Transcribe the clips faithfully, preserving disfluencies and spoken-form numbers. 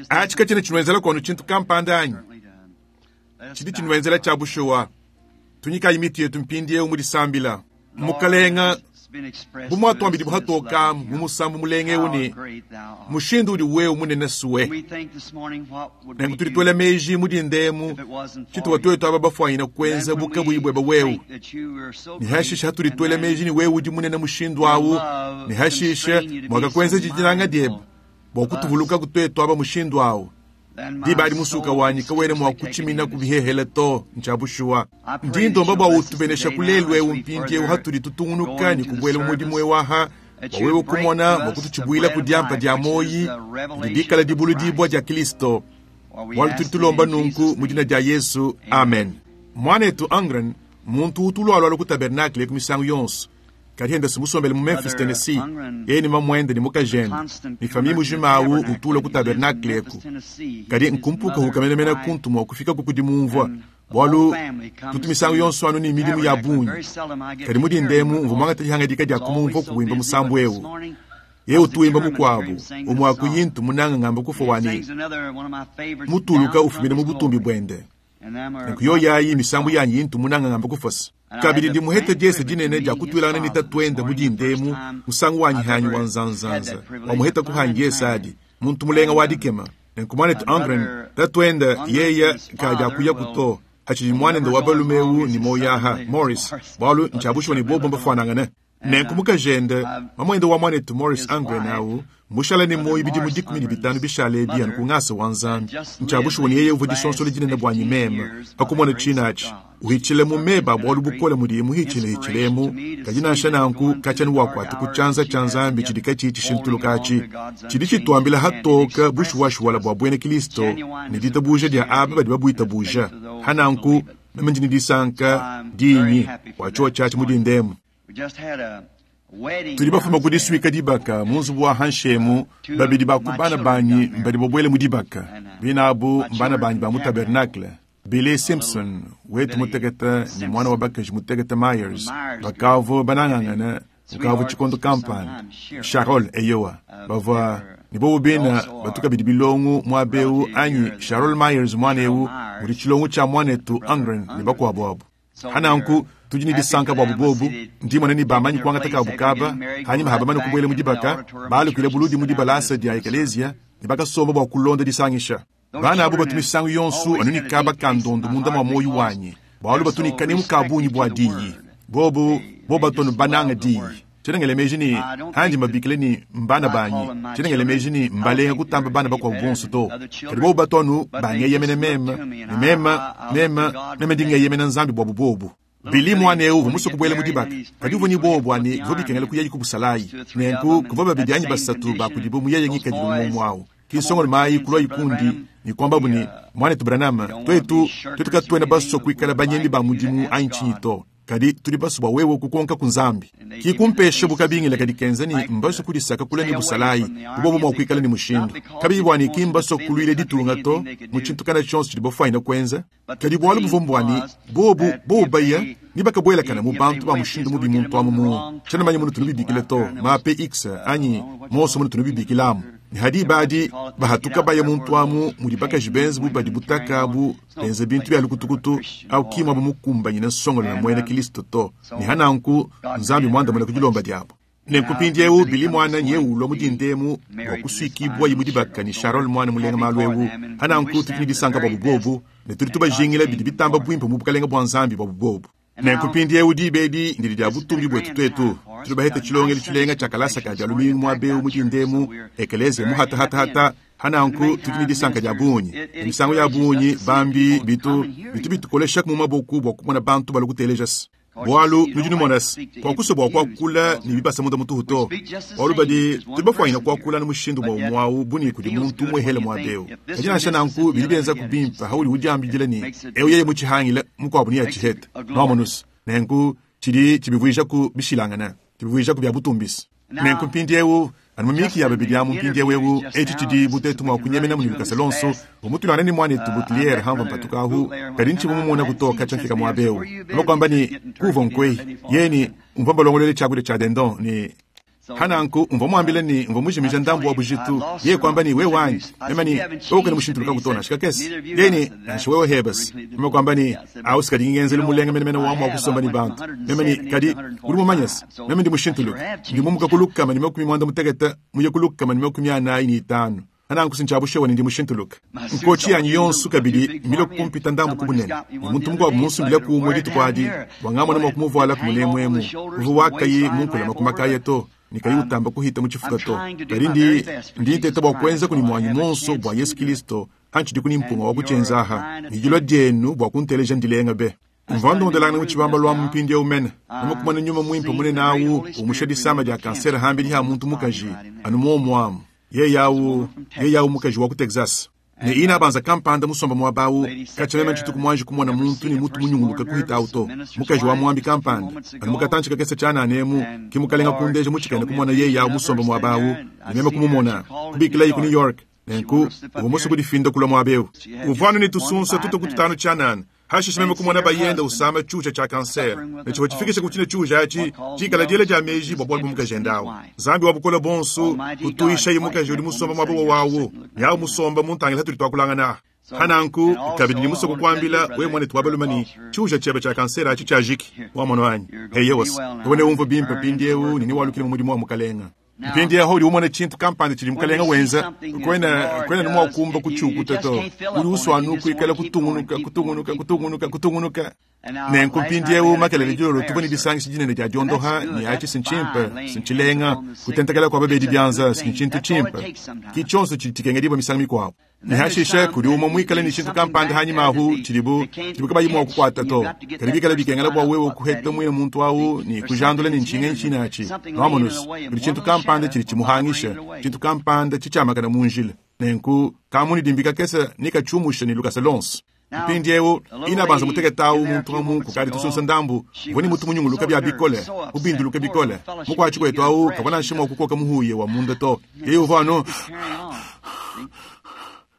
Atshi katshiena tshinuenzela kono tshintu kampanda anyi? Tshidi tshinuenzela tshia bushuwa. Tunyikayi mitu yetu mpindieu mu disambila. Mukalenga, bu muatuambidibu hatoka mu musambu mulenga eu ne, mushindu udi wewe munene suwe. Nenku tudi tuela meji mu dinda emu tshituwa tuetu aba bafuanyina kuenza bu kabuyi buebe wewe. Ne hashishe hatudi tuela meji ne wewe udi munene mushindu awu, ne hashishe muakakuenza dinanga diebe bua kutuvulukaku tuetu aba mushindu awu. Diba adi musuka wanyi kawena mua kutshimina ku bihehele to, ntshia bushuwa. Ndi ndomba bua utubenesha ku lelu eu mpindieu hatudi tutungunuka ne kubuela mu mudimu eu aha, bua wewe kumona mua kututshibuila ku diampa dia muoyi didi dikala dibuludibua dia Kristo. Bualu tudi tulomba nunku mu dina dia Yesu, amen. Muanetu Ungren, muntu utu ulualualua ku tabernakle ku misangu yonso, kadi enda musombele mu Memphis, Tennessee, yeye ne mamuende ne mukajende ne famille mujima awu utula ku tabernakle eku. Kadi nkumpukahuka menemene kuntu mua kufika ku dimumvua, bualu tutu misangu yonso anu ne midimu ya bungi. Kadi mu dinda emu mvua muangate dihangadika dia kumumvua kuwimba musambu eu. Yeye utu wimba mukuabu umue akuyintu munanga ngamba kufua wani mutuluka ufumina mu butumbi buende. Nenku yoyayi misambu yanyi yintu munanga ngamba kufosa. Kabidi ndi muhete diese dinene dia kutuilangana ne tatuende mu dinda emu musangu wanyi hanyi wa nzanzanza wa muheta kuhangi yesadi muntu mulenga wa dikema. Nenku muanetu Ungren tatuende yeya kadi akuya kuto hachidi muanende wa balume eu ni moyaha Morris bualu ntshiabushuwa ne bobo mbafuanangane. Nenku mukajende mamuende wa muanetu Morris Ungren awu mushala ne moyi bidimu dikumi ne bitanu bishale ebi anu ku ngasa wa Nzambi. Ntshiabushuwa ne yeye uvua disonsola dinene buanyi meme pakumona tshina atshi uhitshile mu meba bualu bukole mudiye muhitshilehitshilemu, kadi nansha nanku katshiena wakuata ku tshianza tshia Nzambi tshidi katshiyi tshishintuluka atshi tshidi tshituambila hatoka bushuwashuwala bua buena Kristo ne ditabuja dia aba badi babuitabuja. Hananku meme ndi ne disanka dinyi bua tshiowa tshiatshi mu dinda emu. Tudi bafuma ku disuika dibaka mu nzubu wa Hanshemu, babidi ba ku bana banyi mbadi babuele mu dibaka. Binabu mbana banyi ba mu tabernakle. Billy Simpson wetu mutekete ne mwana wa bakaji mutekete Myers bakavua banangangana mukavua tshikondo kampanda. Charol eyowa bavua ne bobo bina batu kabidi bilongo muaba eu anyi Charol Myers mwana eu mudi tshilongo tshia muanetu Ungren ne bakuabu abu. Hananku tudi ne disanka buabu bobu ndimona ne bamanyi kuangata kabu kaba hanyima habamane kubuela mu dibaka balukuile buludi mu dibalasa dia ekelesia ne bakasomba bua kulonda disangisha. Bana abu batu misangu yonso anu ne kaba ka ndondo munda mua moyo wanyi bualu batu ne kanemu ka bungi bua diyi. Bobu bobu batu anu bananga diyi. Tshiena ngela meji ne handi mbabikile ne mbana banyi, tshiena ngela meji ne mbalenga kutamba bana bakuabu bonso to. Kadi bobu batu anu bangeyemena meme ne meme meme meme ndi ngeyemena Nzambi buabu bobu. Billy mwana eu uvua musue kubuela mu dibaka, kadi uvua ne bobu bua ne bivua bikengela kuyayi ku busalayi. Nenku kuvua babidi anyi basatu ba kudibo mu yeye ngikadilu muomu awu. Ki nsongolo mayi kulua ikundi ne kuambabu ne muanetu Branham, tuetu tuetu katuena basue kuikala banyemi ba mudimu anyi tshinyi to. Kadi tudi basue bua wewe kukonka ku Nzambi. Ki kumpesha bukabingila kadi kenza ne mbasue kudisaka kula ne busalayi, bubobo mua kuikala ne mushindu. Kabiyi bua ne ki mbasue kuluila ditunga to, mu tshintu kana tshionso tshidi bafuanyina kuenza. Kadi bualu buvua mbua ne bobu bobu baya ne bakabuelakana mu bantu ba mushindu mubi muntu amu mu. Tshiena manya munu tunubibikila to, ma P X anyi monso munu tunubibikilamu. Ne hadi badi bahatuka baya muntu amu mudi bakaji benza bu badi butaka bu benza bintu bya lukutukutu au kimwa bu mukumbanyina nsongolo na muena Kristo to. Ne hananku Nzambi muandamuna ku dilomba diabo. Nenku mpindieu Billy mwana nye ulua mu dinda emu bua kusuikibua mu dibaka ne Charol mwana mulenga malu eu. Hananku tudi ne disanka buabu bobu ne tudi tubajingila bidi bitamba buimpe mu bukalenga bua Nzambi buabu bobu. Nenku mpindieu diba edi ndidi dia butumbi buetu tuetu. Tudi bahete tshilongelo tshilenga tshia kalasa ka dia lumingu muaba eu mu dinda emu, ekeleziya muhatahatahata. Hananku tudi ne disanka dia bungi. Ne misangu ya bungi bambi bitu bitu bitukolesha mu maboku bua kumona bantu balua kuteleja se. Bualu nudi numona se, kuakusua bua kuakula ne bibasa munda mutuhu to. Bualu badi tudi bafuanyina kuakula ne mushindu mwa umue buni kudi muntu umuehele muaba eu. Kadi nansha nanku bidi bienza ku bimpe hauli udiambidila ne eu yeye mutshihangile mukuabu ne yatshihete. Nwamonusa. Nenku tshidi tshibivuija ku bishilangana, tshibivuija ku bia butumbisi. Nenku mpindieu anu mu miki ya babidi amu mpindieu eu etshi tshidi butetu mua kunyemena mu lukasa lonso umutulana ne muanetu Boutlier hamva mpatuka ahu kadi ntshivua mumona kutoka tshiafika muaba eu. Bakuamba ne kuva nkwei yeni umva mbalongolole tshiakudia tshia dindon ne Hananku mvua muambile ne mvua mujimija ndambu wa bujitu. Yeye kwamba ni wewe wanyi mema ni wewe ukene mushintuluka kutona shikakesi yeye ni nansha wewe hebes mema kwamba ni au sikadi ngenzeli mulenga mene mene wamu wakusomba ni bantu mema ni kadi uri mumanyasi mema ndi mushintuluka ndi mumuka kulukama ni makumi mwanda muteketa muye kulukama ni makumi anayi ni itanu ananku sinchabushewa ndi mushintuluka nkochi yanyi yonsu kabili milo kumpita ndambu kubunene muntu mukwabu munsumbile kumwe dituku wangamona mwakumuvala kumulemwemu uvu wakayi munkula makumakaye to nikayi utamba kuhita muchifuka to kali ndi ndinteta bwa kwenza kuni mwanyi monso bwa Yesu Kristo hanchi kuni mpunga wa kuchenzaha nijilwa dyenu bwa kunteleja ndilenga be mvandondelana muchibamba lwa mpindi umene nomukumana nyuma mwimpe mune nawu umusha disama dya kansera hambili ha muntu mukaji anu momwamu ye yawu ye yawu mukaji wa ku Texas ne ina banza kampanda musomba mwabawu kachalema nchituku mwanji kumona muntu ni mutu munyunguluka kuhita auto mukaji wa mwambi kampanda anu mukatanchika kesa chana anemu kimukalenga kundeja muchikene kumona ye yawu musomba mwabawu nimema kumumona kubikila yi ku New York nenku uvomoso kudifinda kula mwabeu uvanu ni tusunsa tuto kututano chanana hashisha meme kumona bayenda usama chucha cha kansera nechivo chifikisha kuchine chucha achi chikala dyele dya meji bwa bwali bumukajendawo zambi wabukola bonso kutuisha yi mukaji uli musomba mwabowo wawu yawu musomba muntangila hatuli twakulangana hananku kabidi ni musoko kwambila we mwane twabalumani chucha chebe cha kansera achi chajiki wamono anyi heyewos wone umvo bimpe pindiewu nini walukile mu mudimu wa mukalenga mpindi yaho uli umone chintu kampanda chili mukalenga wenza kwena kwena nimwa kumba kuchukuta to uli uswanu kuikala kutungunuka kutungunuka kutungunuka kutungunuka nenku mpindi ewu makelele dilolo tubone disangishi dinene dya dyondoha ni achi sinchimpe sinchilenga kutentakela kwa babedi byanza sinchintu chimpe kichonso chili tikengedibwa misango mikwabo nihashisha kuli umwe mwikale ni chintu kampanda hanyuma ahu chilibu chilibu kabayi mwa kukwata to kali bikala bikengela bwa wewe kuheta mwine muntu awu ni kujandula ni nchinga nchina achi nwamonus kuli chintu kampanda chili chimuhangisha chintu kampanda chichamakana munjila nenku kamuni dimbika kesa nikachumusha ni lukasa lonso mpindi ewu ina banza muteketawu muntu amu kukali tusunsa ndambu voni mutu munyunguluka bya bikole ubinduluka bikole mukwachi kwetu awu kabona nshima okukoka muhuye wa munda to yeyo vano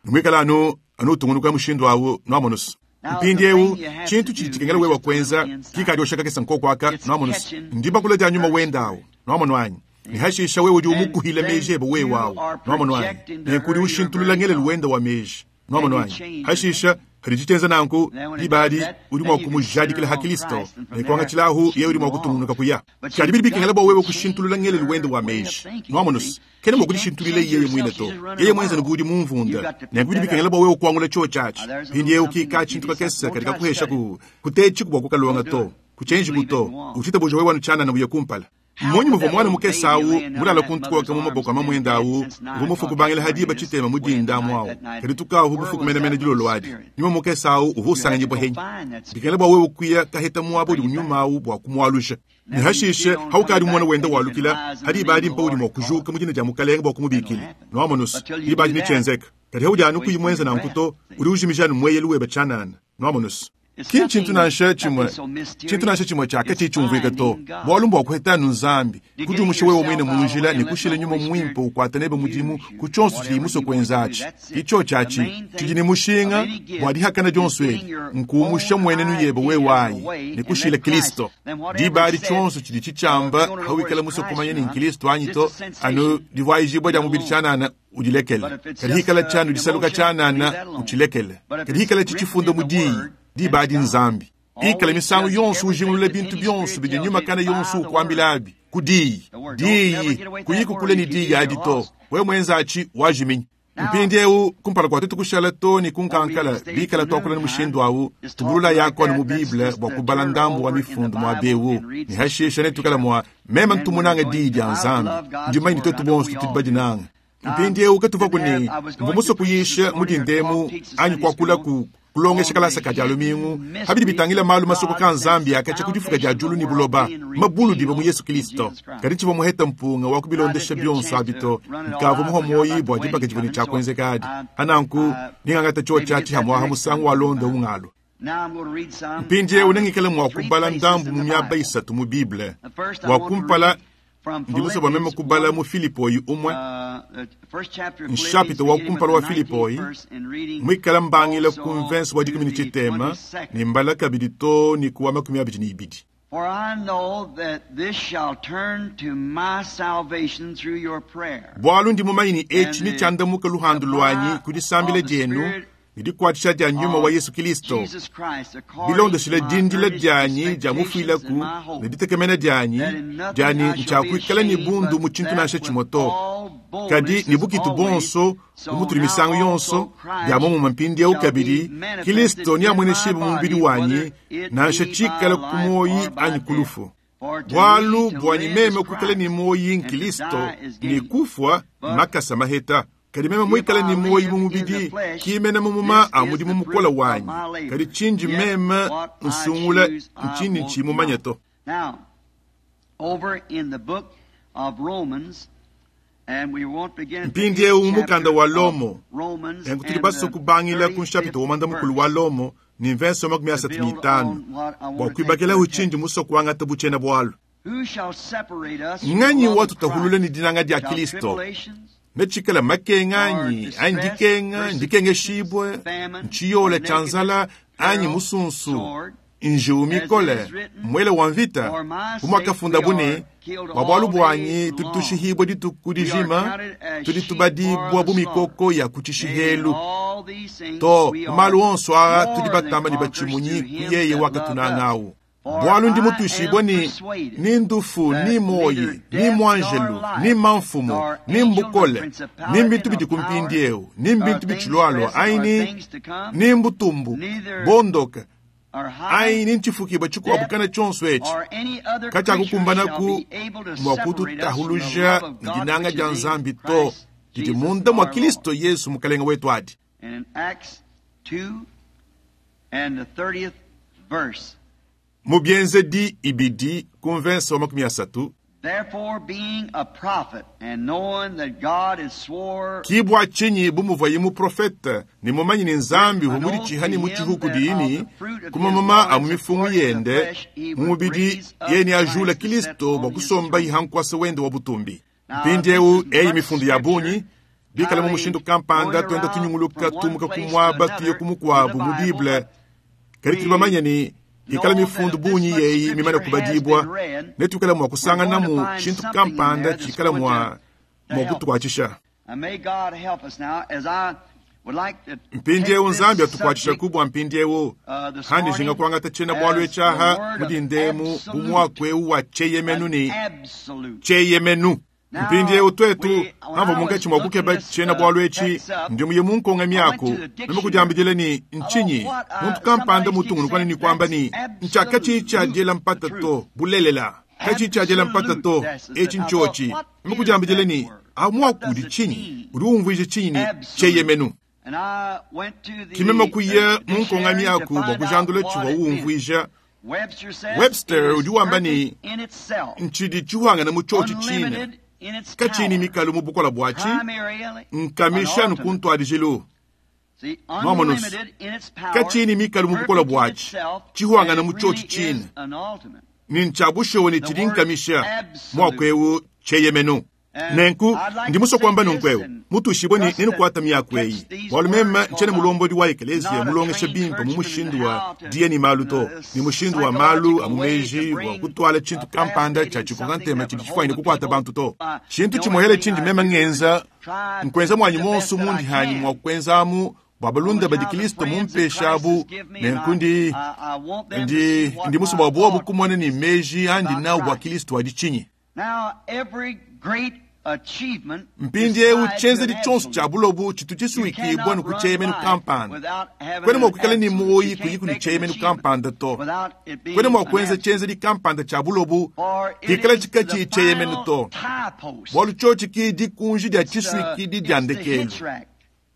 nimwikala anu anu utungunuka mushindu awu nwamonusu mpindi ewu chintu chili chikengela wewa kwenza kikali oshaka kesa nkokwaka nwamonusu ndibakula dya nyuma wenda awu nwamono anyi nihashisha wewe udi umukuhila meji ebe wewe awu nwamono anyi nenkuli ushintulula ngelelu wenda wa meji nwamono anyi hashisha hali nanku libali uli mwa kumujadikila ha Kristo nekwanga chilahu ye uli mwa kutungunuka kuya kali bili bikengela bwa wewe kushintulula ngelelu wenda wa meji nwamonusu kene mwa kudishintulila yeye mwine to yeye mwenza nigudi mumvunda nekubili bikengela bwa wewe kuangula cho chachi pindi yewe ukika chintu kakesa katika kuhesha ku kutechi kubwa kukalonga to kuchenji kuto uchita bujo wewe wanuchana na buye kumpala mmonyi muvo mwana mukesa awu mulala kuntukoka mu maboko amamwenda awu uvu kubangila hadiba chitema mudinda amu awu kadi tukawu bufuku menemene dilolo adi nyuma mukesa awu uvu usanganyibwa henyi bikengela bwa wewe kuya kaheta muabo uli unyuma awu bwa kumwalusha nihashishe haukali mwana wenda walukila hadiba adi mpa uli mwa kujuka mudina dya mukalenga bwa kumubikila nwamonusu diba adi nichenzeka kadi haujanu kuyimwenza nankuto uli ujimijanu mweyelu weba chanana nwamonusu kini chintu nansha chimwe chintu nansha chimwe chaka chichumvika to bwalumbu wakuhetanu nzambi kuti umushe wewe mwine munjila nikushile nyuma mwimpe ukwata nebe mudimu kuchonso chili muso kwenzachi icho chachi chili ni mushinga bwadihakana dyonso eli nkuumusha mwenenu yebe wewayi nikushile Kristo dibali chonso chili chichamba hawikala muso kumanya ni Kristo anyito anu divwayijibwa dya mubili chanana udilekele kalihikala chanu disaluka chanana uchilekele kalihikala chichifunda mudiyi dibadi nzambi ikala misango yonso ujingulula bintu byonso bidi nyuma kana yonso ukwambilabi kudiyi diyi kuyikukule ni diyi adi to we mwenza achi wajiminya mpindi ewu kumpala kwa tutu kushala to ni kunkankala bikala twakula ni mushindu awu tubulula yako anu mu biblia bwa kubala ndambu wa mifundu mwa bewu ni hashisha netukala mwa mema ntumunanga diyi dya nzambi ndimanyi twetu bonso tudi badinanga mpindi ewu katuva kuni mvumuso kuyisha mudindemu anyi kwakula ku kulongesha kalasa ka dya lumingu habili bitangila malu masoko ka nzambi akacha kudifuka dya julu ni buloba mabulu diba mu Yesu Kristo kadi chiva muheta mpunga wa kubilondesha byonso abito nkava muho moyi bwa dipaka chivoni cha kwenzeka adi ananku ningangata cho chachi hamwaha musangu wa londa ungalo mpindi ewu nengikele mwa kubala ndambu mu miaba isatu mu Bible wa kumpala ndimuso bameme kubala mu Filipoyi umwe nshapito wa kumpala wa Filipoyi mwikala mbangila ku mvensi wa dikumi ni chitema ni mbala kabidi to ni kuwa makumi abidi ni ibidi For I know that this shall turn to my salvation through your prayer. Bwalu ndi mumanyi ni echi ni chandamuka luhandu lwanyi kudisambile jenu ni dikwatisha dia nyuma wa Yesu Kristo. Bilondeshile dindila dyanyi dia mufuilaku ne ditekemena dyanyi dyanyi ntshakuikala ni bundu mu tshintu nansha tshimoto. Kadi ni bukitu bonso bumutuli misango yonso bya momuma mpindieu kabidi Kristo ni amweneshibe mu mubidi wanyi nansha tshikala ku moyi anyi kulufu. Bwalu bwanyi meme kuikala ni moyi nkristo ni kufwa makasa maheta. Kadi meme mwikala ni moyi mu mubidi kimena mumuma amudi mu mukola wanyi. Kadi chinji meme nsungula nchini nchimumanya to. Now, over in the book of Romans, and we won't begin at the Mpindiewu eighth mukanda wa chapter Lomo. of Romans Engu tuli and baso the kubangila ku thirty-fifth nshapito womanda mukulu wa verse. Lomo ni mvenso makumi asatu ni itanu. Bwa kuibakela uchinji musoko wangata buchena bwalu. Who shall separate us from the Nganyi love of watutahulula Christ? ni dinanga dia Shall Kristo. tribulations, Nechikala makenga anyi, anyi dikenga, ndikenge shibwe, nchiyola chanzala, anyi musunsu, njiu mikole, mwele wa mvita, bumwakafunda bune, bwa bwalu bwanyi tulitushihibwa dituku dijima, tulitubadibwa bumikoko ya kuchishihelu. all these things To, we are malu onso aa more tudi than batamba ni conquerors bachimunyi through him kuyeye that wakatunang'awu. loved us. For Bwalu ndi I mutuishibwa am ni persuaded ni ndufu that ni moyi neither ni death mwanjelu nor life, ni mamfumu nor ni angel, nor mbukole principality, ni mbintu nor bidi power, kumpindiewu ni nor mbintu things bichilwalwa present, nor aini things to come, ni mbutumbu neither bondoka or high, aini nchifukibwa chikuwabukana chonso echi or any other creature kachakukumbanaku shall be able to mwa separate us from the kututahuluja love of God ndinanga which dia is in nzambi to Christ didi Jesus munda mwa our Kristo Lord. Yesu mukalenga wetu adi. And in Acts two and the thirtieth verse. Mubienzedi ibidi kumvensa wa makumi asatu. Therefore, being a prophet and knowing that God has swore Kibwa chinyi bumuva mu profeta ni mumanyi ni nzambi an oath humuli to ni him muchihuku that dini of the fruit of kuma his mama loins amumifungu according to the yende flesh he would mumubidi raise up yeni ajula Christ to set Kristo on bwa his kusomba throne. ihankwasa wende wa butumbi. Now, Mpindiewu this is eyi much mifundu ya bunyi scripture, bikala mu highly mushindu kampanda going twenda around tunyunguluka from one tumuka place to kumwaba tuye another in kumukwabu the mu Bible, Bible but kali tuli bamanya ni ikala know that mifundu if this bunyi much yeyi mimana scripture has kubadibwa been read, netukala mwa we're kusangana going to mu find chintu something in kampanda there that's chikala going mwa to, to mwa help us. kutukwachisha. And may God help us now as I would like to take Mpindiewu nzambi this atukwachisha subject kubwa mpindiewu uh, this handi morning jinga kuangata chena bwalu as the echaha word of mudindemu absolute, bumwakwewu wa cheyemenu an ni absolute. cheyemenu. Now, Mpindiewu twetu we, when hamva I was munkachi mwa looking kukeba this chena uh, bwalu echi text up, ndi muye munkonga I went myako to the meme dictionary. kujambijele ni I thought, nchinyi what? Uh, muntu kampanda somebody keeps mutungulukwana ni saying kwamba that's ni nchaka chicha absolute jela the mpata truth. to bulelela kachicha jela mpata Absolute. to That's echi it. I thought, nchochi what meme is kujambijele that ni word? What amwakudi does it chinyi mean? uri umvije chinyi ni Absolute. cheyemenu. And I went to Kimema the kuya uh, munkonga dictionary to myaku bwa find out kujandula what chiwa it meant. uwumvija. Webster says Webster it is udi wamba ni perfect in itself, nchidi chiwangana mu chochi chine unlimited in its kachini power, mikalu mu bukola bwachi primarily an nkamisha ultimate. nukuntwadijilu See, mwamonusu unlimited in its power, kachini mikalu mu bukola perfect in bwachi itself, and chiwangana it mu chochi really chine is an ultimate. ni nchabushowe ni The chili word nkamisha absolute. mwakwewu cheyemenu. And Nenku I'd like ndi to muso say kwamba this nunkwewu and mutushibwe ni trust that nenukwata myaku eyi catch these bwalu mema words nchene because I'm mulombodi wa ekelezia not a mulongesha trained bimpa mu churchman in mushindu wa how to, diye ni malu in to a ni mushindu wa malu psychological way to amumeji wa bring kutwala chintu a kampanda cha fascinating chikonga something ntema that chidi would chifwaine hold the kukwata people. bantu to Uh, the chintu only chimohele thing chindi I mema do is ngenza try to nkwenza do mwanyi the monso best that I mundi hanyi can mwa kwenzamu bwa on balunda the badi how the Kristo friends that mumpesha Christ has abu given me, and I, nenkundi I, I want them to ndi see what ndi musu my bwa bwobu thought kumona ni is meji andi about nawu bwa Christ. Kristo adi chinyi. Now, every great achievement is Mpindiewu tied to chenzedi an chonso cha absolute. bulobu chitu You chisuwikibwa cannot run nukucheyemenu life kampanda without having kwene an mwakukala ni absolute. moyi You kuyi can't kuli make an cheyemenu achievement kampanda to without it kwene being an mwakwenza absolute. chenzedi kampanda cha bulobu For it kikala is chika the chi cheyemenu final to tie post. bwalu chochi ki dikunji dia It's the, chisuwikidi dia it's the ndekelu hitch rack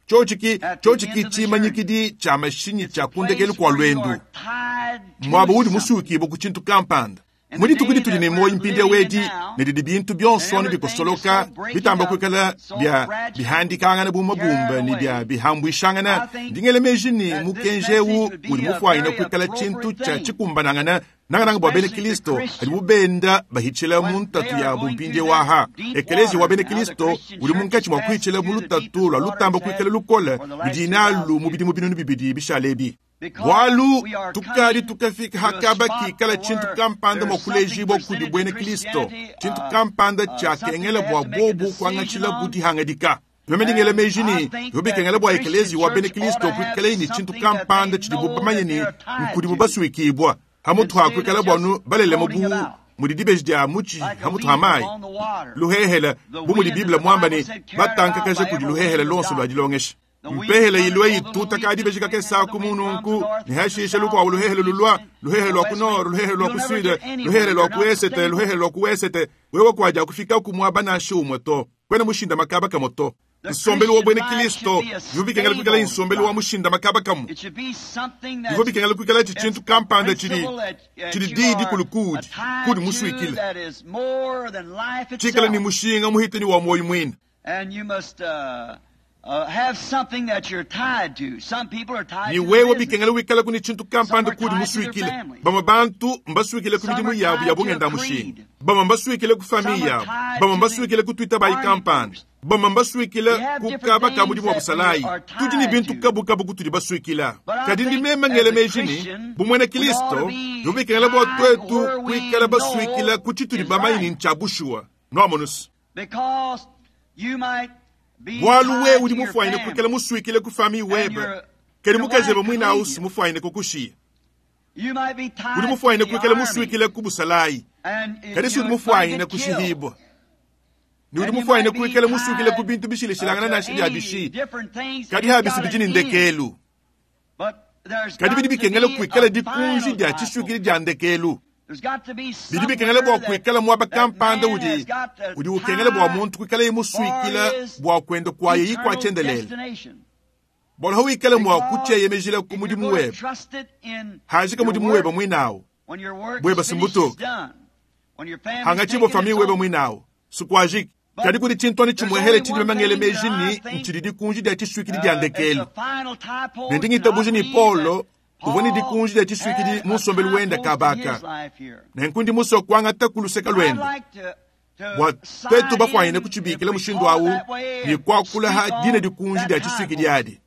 chochi ki at the chochi end ki of the journey. chimanyikidi cha mashinyi It's cha a kundekelu place kwa where you lwendu are tied to mwabo udi something. musuwikibwa ku chintu kampanda And the muri tukudi day tuli that ne we're moyi mpindya living in wedi now, ne didi bintu and byonso ni everything is bikosoloka so breaking bitamba up, kwikala so bya fragile, bihandikangana bumabumba carried ni bya away, bihambwishangana I think ndingelemeji ni that this mukenjewu message would uli be a mufwaina very kwikala chintu appropriate cha thing, chikumbanangana nangananga bwa bene especially to Kristo ali Christians bubenda bahichila mu when they ntatu are ya going through bumpindye that waha deep ekelezia wa waters. bene Now, the Kristo Christian uli church munkachi has mwa passed kuichila mu through the lutatu deepest lwa waters lutamba had kwikala lukola for the last two ludinalu thousand mu years. bidimu binunu bibidi bishalebi. Bwalu tukali tukafika hakaba kikala chintu kampanda mwakulejibwa kudi bwene Kristo chintu kampanda chakengela bwa bobu kwangachila butihangadika nomendingela meji yobikengela bwa ekelezi wa bene Kristo kwikala ni chintu kampanda chidi bamanye ni nkudi bubasuikibwa hamutu hakwikala bwanu balele mubu mudi dibeji dia muchi hamutu hamai luhehela bu mudi Biblia mwamba ni batankakaje kudi luhehela lonso lwa dilongesha mpehele ilwe ituta ka dibeji kakesa kumununku ni hashisha lukwa luhehele lulwa luhehele lwa kunoro luhehele lwa kusude luhehele lwa kuesete luhehele lwa kuesete wewe kwaja kufika kumwaba na shumwe to kwena mushinda makaba kamoto nsombelu wa bwene Kristo yubikengela kwikala insombelu wa mushinda makaba kamu yubikengela kwikala chichintu kampanda chili chili didi kulukudi kudi musuikile chikala ni mushinga muhitani wa moyo mwina. And you must uh, uh, have something that you're tied to. Some people are tied ni to wewe bikengela wikala kuni chintu kampanda kudi musuikile bama bantu mbasuikile ku midimu yabu ya bungenda mushinga bama mbasuikile ku famille yabu bama mbasuikile ku twita bayi kampanda bama mbasuikile ku kaba ka mudimu wa busalayi tudi ni bintu kabukabu kutudi basuikila kadi ndi meme ngele meji bumwene Kristo yubikengela bwa twetu kwikala basuikila ku chitudi bamayi ncha bushuwa noamonusu Because you might be bwalu we udi tied to your mufwaine family. kwikala musuikile ku famille webe kedi mukazebe mwina ausi mufwaine kukushiya You might be tied udi mufwaine to the kwikala army. musuikile ku busalayi And if kadi si you udi might mufwaine get killed. kushihibwa ni udi And you mufwaine might be kwikala musuikile ku tied, bintu bishilishilangana uh, na to shidi any abishi different things. kadi It's habisi got an bijini end. ndekelu But there's kadi got bidi to bikengela be kwikala a dikunji final dia type. chishukili dia ndekelu There's got to be bidi bikengela bwa somewhere kwikala mwaba that that kampanda man udi has got to udi ukengela bwa tie muntu kwikala imusuikila for his bwa kwenda kwaye eternal ikwachendelele destination. bwalo hawikala mwa Because kucheyemejela ku if you're mudimu gonna webe trust it in hajika your mudimu work, webe mwinawo when your work bweba is finished, simbutuka. it's done. When your family's hangachibwa taken, famille it's webe over. mwinawo sikwajiki kadi kuli chintwani chimwehele chidi bamangele meji ni nchidi dikunji dia chiswikili dia Uh, it's ndekelu a final tie post, nendingitabuji and I ni believe Paulo that uvoni Paul dikunji dia chiswikili had a munsombelu tie wenda post in kabaka his life here. nenkundi muso kwangata kuluseka I'd lwenda like to- to bwa sign twetu bafwaine in, kuchibikila if we mushindu call it awu that way, ni and kwakula ha speak on dina dikunji that dia tie chiswikili post. adi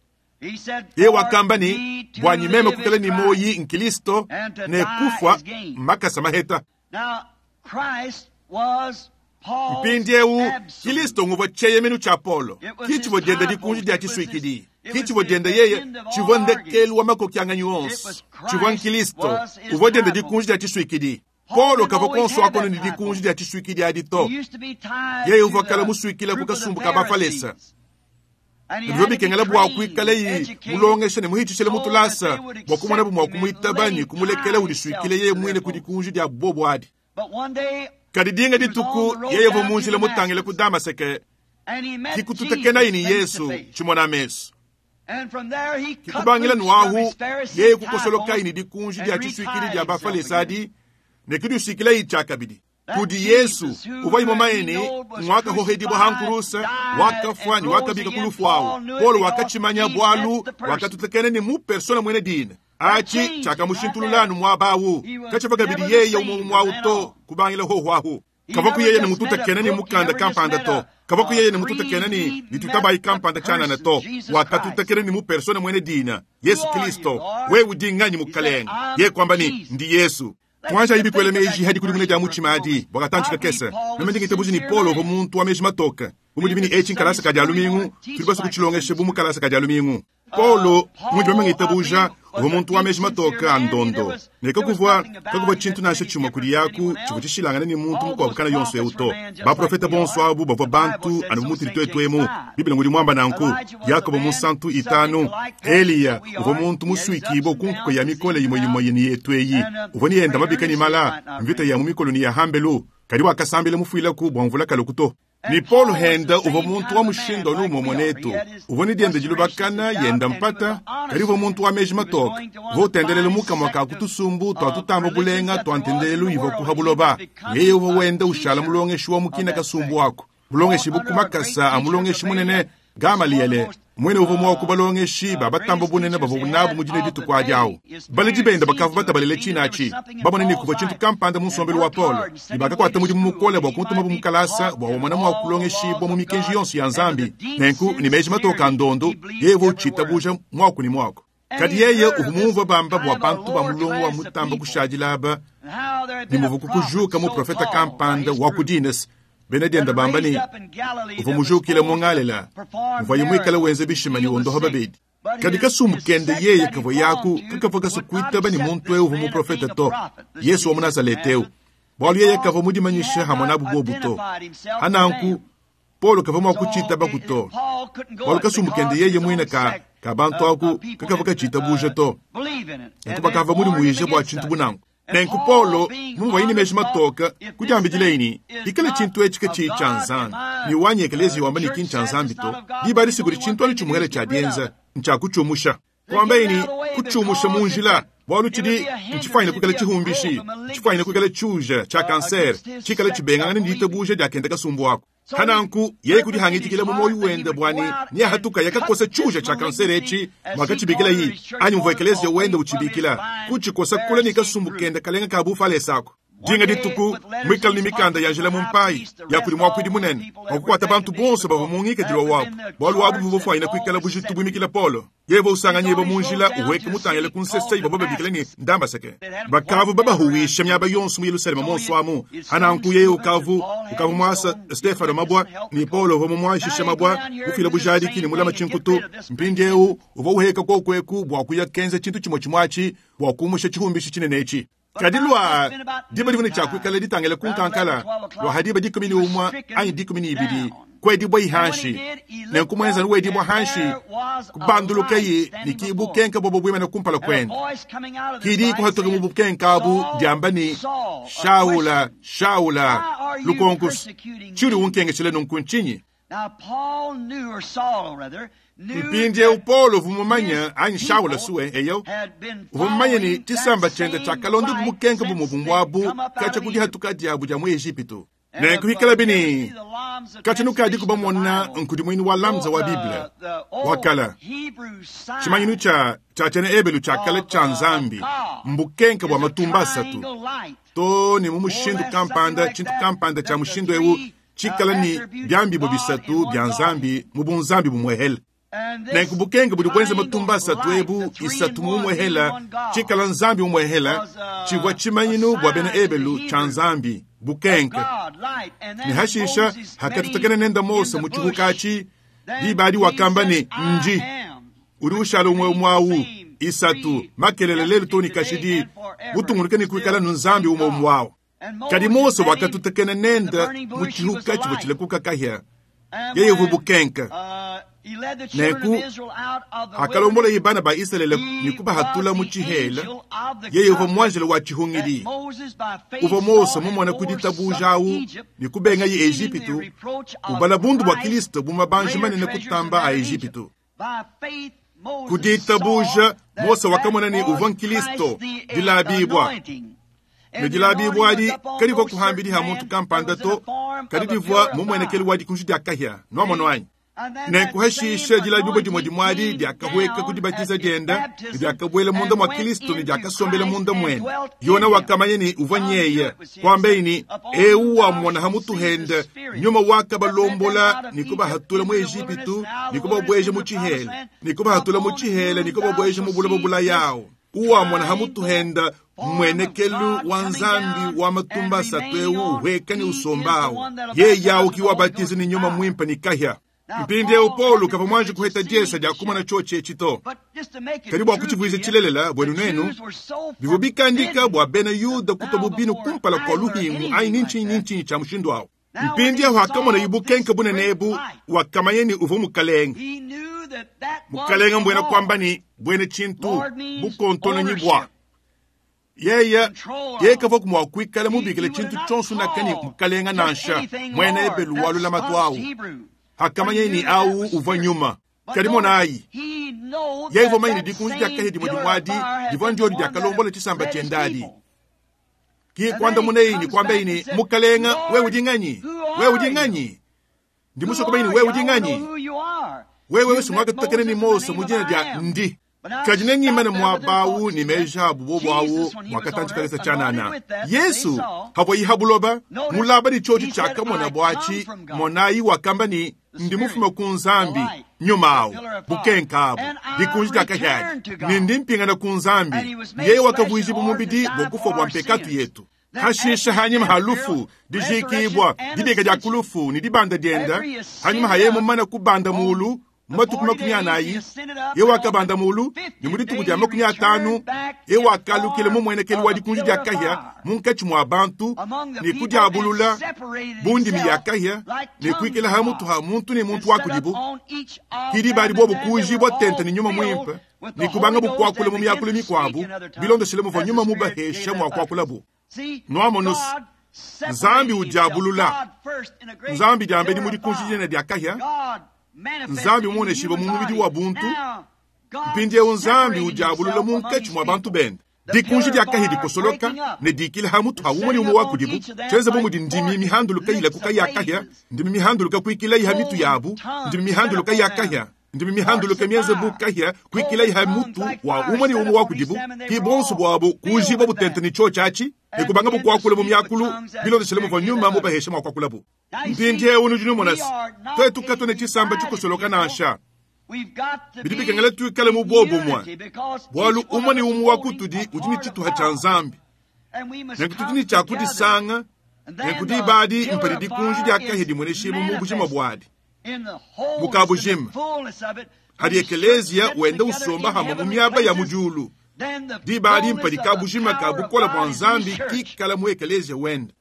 He said, ye "For wakamba me ni to bwanyi meme live kukala is ni Christ." moyi nkilisto And to ne die kufwa is gain. makasa maheta Now, Christ was Paul's mpindiewu absolute. kilisto nguvwa cheyemenu cha Paulo It was kichivwa his jenda tie dikunji post. dia It was chiswikili his- it was kichivwa the jenda yeye end of all chivwa ndekelu wa makoki It onse was Christ chivwa nkilisto was his uvwa jenda tie dikunji post. dia chiswikili Paul Paulo didn't kava always konso have akono that ni tie dikunji post. dia chiswikili adi to He used to be tied yeye to uvwa kala the musuikila group of the kukasumbu ka bafalesa Pharisees. And he had nivyo to be bikengela bwa trained, kwikala yi educated, mulongesha ne muhichishele so that mutulasa they would bwa kumona accept bumwa him and kumwitaba let ni him kumulekela tie uliswikile himself yeye to mwine their ku post. dikunji dia bobo adi But one day, kadi dinga he was on dituku the road yeye down to vomunjila mutangile ku Damascus, Damaseke and he met kikututekena Jesus ini face to Yesu face. chimona meso And from there he cut kikubangila loose from nwahu his Pharisee yeye tie kukosoloka post ini dikunji and dia chiswikili retied dia himself bafalesa again. adi nekidusikila ichakabidi That kudi Jesus Yesu who uvwa he imomaene knowed was mwakahohedibwa crucified, hankurusa died, wakafwa and ni rose wakabika again. kulufu awo Paul knew it Paulo because wakachimanya he met bwalu the person. wakatutekene ni mu persona mwene dina That achi changed him right chakamushintululanu there. mwabawu He was kachava kabidi never the yeye same umwe from mwawu then to on. kubangila hohwahu He kava never kuyeye ni just mututa met a kena ni book, he mukanda never just kampanda met to a, kava a kuyeye ni mututa creed. kena ni He nitutabayi met the kampanda chanana person, to Jesus Christ. wakatutekene ni mu persona mwene dina Yesu Who are you, Kristo Lord? wewe udinganyi He said, mukalenga I'm ye kwamba ni Jesus. ndi Yesu Let's twanja just ibikwele think of meji that hadi kulimune dia conversion for a muchima adi moment. bwakatanchika I believe kese Paul was a nomendingitebuji ni sincere Paulo man. vo muntu wa meji matoka bumudimini Being echi the nkalasa Sunday kadya school, we lumingu want to teach tuli basi like a kuchilongeshe Sunday bumu school. kalasa kadya lumingu Uh, Paulo mwidi Paul, I wamengitabuja believe, was uvo a muntu wa deep, meji sincere matoka man. He, there ndondo was, neka there was kuvwa nothing about kakuvwa him chintu that made nashe him chimwe different kuli from yaku anyone chivwa else. chishilangana ni muntu All mukwabo those kana yonso prophets were euto men just like baprofeta we bonso are. abu bavwa The Bible bantu said anu so, mutili Saint twetu James emu five. biblia nguli mwamba nanku Elijah was a yakobo man munsantu subject itanu to like passions eliya that we uvo are. muntu He had his ups muswikibo and kunkuko downs, ya his mikole ins yimwe and yimwe outs. yeni yetu eyi And uh, uvo niyenda Brother mabika ni Ernest mala might not mvita remember. ya mumikolo ni ya hambelu kadi wakasambile mufuilaku bwa mvula kalukuto ni And Paulo Paul was the henda uvo same muntu kind wa of a man mushindo like numo we are. He mwanetu had his uvo ni dienda frustrations, his jilubakana doubt, yenda and he was mpata an kadi honest uvo man. muntu wa meji He was matoka going to one of the votendelele finest mukamwa ka sect of, kutusumbu of twatutamba religions bulenga that there was in twantendelelu the ivo world, and he was kuhabuloba becoming yeye uvo a wenda ushala teacher mulongeshi wa of mukina that kasumbu sect. wako bulongeshi Taught under a great bukumakasa teacher, amulongeshi munene Gamaliel, was one of the Gamaliele most mwene uvo mwa uh, kubalongeshi uh, babatamba greatest bunene teachers bavo they bunabu had mujine of the dituku ajawo day. His baliji parents benda seen bakava to it, batabalele seen that there was chinachi something in babonene Paul's kuva chintu life, kampanda and munsombelu wa worked Paulo hard and sent him away nibakakwata to mudimu school mukole that bwa he kumutuma might be bumukalasa taught bwa in wamwana mwa all the laws kulongeshibwa mu of mikenji God yonso ya and with a nzambi deep nenku ni meji matoka sincerity ndondo he believed yevo every word. chitabuja mwaku ni mwako Kadi yeye uvua mumvue bamba bua bantu ba mulongo wa mutamba kushadila aba ne muvua kukujuka muprofeta kampanda wa ku dines bena dienda bamba ne uvua mujukile mu Ngalela muvuaye muikale wenza bishima ne wondoha babedi. Kadi kasumbu kende yeye kavua yaku kakavua kasu kuitaba ne muntu eu uvua muprofeta to, Yesu wa mu Nazaleta eu, bualu yeye kavua mudimanyishe hamwe nabu bobu to. Hananku Paulo kavua mua kuchitaba kuto, bualu kasumbu kende yeye muine ka ka bantu aku kakavua kachitabuja to, nku bakavua mudimuije bua tshintu bunangu. Nenku Paulo mumvuaye ne meji matoka kudiambidila ne ikala tshintu etshi katshiyi tshia Nzambi ne wanyi ekelezia wamba ne ki ntshia Nzambi to, diba disiku di tshintu anu tshimuhela tshia dienza ntshiakutshiumusha. Kuambaye ne kutshiumusha mu njila bualu tshidi ntshifanyine kuikala tshihumbishi, ntshifanyine kuikala tshiuja tshia kansere tshikala tshibengangana ne ditabuja diakenda kasumbu ako. Hananku yeye kudihangitikila mu moyo wende bua ne niahatuka yakakosa tshiuja tshia kansere etshi mwakatshibikila yi anyi muvua ekelezia wende utshibikila kutshikosa kula ne kasumbu kende kalenga ka bufalesa ako. Dinga dituku mwikala ne mikanda ya njila mu mpayi ya kudi muakuidi munene wakukwata bantu bonso bavua mu ngikadilu wabu, bualu wabu buvua bufanyine kuikala bujitu buimikila Paulo. Yeye usanganyibwa mu njila uweke mutangile ku nsese ibavua babikila ne Ndambaseke. Bakavu babahuwisha miaba yonso mu Yerusalema monso amu. Hananku yeye ukavu ukavu mwasa Stefano mabwa ni Paulo uvua mumwashisha mabwa kufila bujadiki ne mulama tshinkutu. Mpindieu uvua uheka kokweku bua kuya kenza tshintu tshimue tshimue bua kumusha tshihumbishi tshinene etshi. Kadi lwa diba divune tshia kuikala ditangila ku nkankala lwa hadiba dikumi ne umue anyi dikumi ne ibidi kwedibwa ihanshi nenku muenzani wedibwa hanshi kubandulukayi ne kibukenka bobo buimene kumpala kwende kidi kuhatuka mu bukenka abu diamba ne Shaula, Shaula, lukonkusu tshili unkengeshele nunku ntshinyi? Mpindieu Paulo uvua mumanye anyi Shaula suwe eyo uvua mumanye ne tshisamba tshiende tshiakalonda bubukenka bumue abu katshia kudihatuka diabu dia mu Ejipitu. Nenku hikala bini katshia nukadi kubamona nkudimuinu wa lamza wa Bible wakala tshimanyinu tshia tshia tshiena Ebelu tshiakala tshia Nzambi mbukenka bua matumba asatu to ne mu mushindu kampanda tshintu kampanda tshia mushindu eu tshikala ne biambibo bisatu bia Nzambi mu bunzambi bumuehele. Nenku bukenke budi buenza matumba asatu ebu isatu mu umuehela tshikala Nzambi umuehela tshivua tshimanyinu bua bena Ebelu tshia Nzambi bukenke. Ne hashisha hakatutakena nenda Mose mu tshihuka atshi diba adi wakamba ne nji udi ushala umue umue awu isatu makelele lelu to ne kashidi butungunuke ne kuikala nu Nzambi umue umue awu. Kadi Mose wakatutakena nenda mu tshihuka tshivua tshilekuka kahia yeye uvua bukenke. Nenku akalombola ye bana ba Israele ne kubahatula mu tshihela yeye uvua muanjelo wa tshihungidi uvua Mose mumona ku ditabuja awu ne kubenga ye Ejipitu ubala bundu bua Kristo bu mabanji manene kutamba a Ejipitu. Ku ditabuja Mose wakamona ne uvua Kristo dilabibwa ne dilabibwa adi kadivua kuhambidi ha muntu kampanda to kadi divua mumuenekelu wa dikunji dia kahia nuamono anyi. Nenku hashisha dilabibwa dimue dimue adi diakahweka ku dibatiza dienda ne diakabuela munda mua Kristo ne diakasombela munda muende. Yona wakamanya ne uvua nyeye kuambaye ne eu wamona ha mutu hende nyuma wakabalombola ne kubahatula mu Ejipitu ne kubabueja mu tshihela ne kubahatula mu tshihela ne kubabueja mu buloba bulayawo. Uwamona ha mutu henda mwenekelu wa Nzambi wa matumba asatu eu uhweka ne usombawo yeye yawo kiwabatiza ne nyuma mwimpa ne kahia. Mpindieu Paulo kavua muanji kuheta diesa dia kumona tshiotshi etshi to. Kadi bua kutshivuiza tshilelela buenu nenu bivua bikandika bua bena Yuda kutua bubinu kumpala kua luhingu anyi ni ntshinyi ni ntshinyi tshia mushindu awu. Mpindieu akamona ibukenke bunene ebu wakamanya ne uvua mukalenga. Mukalenga mbuena kuamba ne buena tshintu bukontononyi bua yeye yeye kavua mua kuikala mubikile tshintu tshionso nakani mukalenga nansha muena Ebelu wa lulamatu awu. Hakamanya ni awu uvua nyuma. Kadi monayi yeye uvua manya ne dikunji dia kahia dimue dimue adi divua ndiodi diakalombola tshisamba tshiende adi. Ki kuandamunayi ne kuambaye ne mukalenga wewe udi nganyi? Wewe udi nganyi? Ndi musue kumanya ne wewe udi nganyi? Wewe wewe mwakatutakena ne Mose mu dina dia ndi. Kadi nengimane muaba awu ne meji abu bobu awu bua katantshi kakese tshianana. Yesu havua yiha buloba mulaba ne tshiotshi tshiakamona atshi, monayi wakamba ne ndi mufume ku Nzambi nyuma awu bukenka abu dikunji dia kahiadi ne ndi mpingana ku Nzambi. Yeye wakavuijibwa mubidi bua kufa bua mpekatu yetu. Hashisha hanyima ha lufu dijikibwa dibika dia kulufu ne dibanda dienda hanyima ha yeye mumane kubanda mulu matuku makumi anayi ye wakabanda mulu ne mu dituku dia makumi atanu ye wakalukile mu muenekelu wa dikunji dia kahia munkatshi mua bantu ne kudiabulula bundimi ya kahia ne kuikila ha mutu ha muntu ne muntu wa kudibu. Kidi badi bobu kuujibwa tente ne nyuma muimpe ne kubanga bukuakula mu miakulu mikuabu bilondeshile muvua nyuma mubahesha mua kuakulabu. Nuamonus Nzambi udiabulula Nzambi diambedi mu dikunji dinene dia kahia Nzambi muoneshiwe mu mubidi wa buntu. Mpindieu Nzambi udiabulula munkatshi mua bantu bende. Dikunji dia kahia dikosoloka ne dikila ha mutu ha umwe ne umwe wa kudibu tshienze bu mudi ndimi mihanduluka ilakuka ya kahia ndimi mihanduluka kuikila iha mitu yabu ndimi mihanduluka ya kahia ndimi mihanduluka mienze bu kahia kuikila iha mutu wa umwe ne umwe wa kudibu. Ki bonso bwabo kuujibwa butente ne tshiotshi atshi ne kubanga bukuakula mu miakulu bilondeshele muvua nyuma mubahesha mua kuakulabu. Mpindieu nudi numona se twetu katwene tshisamba tshikosoloka nansha bidi bikengela tuikale mu bobumwe bualu umwe ne umwe wa kutudi udi ne tshituha tshia Nzambi nenku tudi ne tshia kudisanga nenku dibadi mpadi dikunji dia kahia dimueneshibwa mu bujima buadi mukabujima hadi ekelezia wenda usomba hamwe mu miaba ya mudiulu dibadi mpadi kabujima ka bukola bua Nzambi kikala mu ekelezia wenda.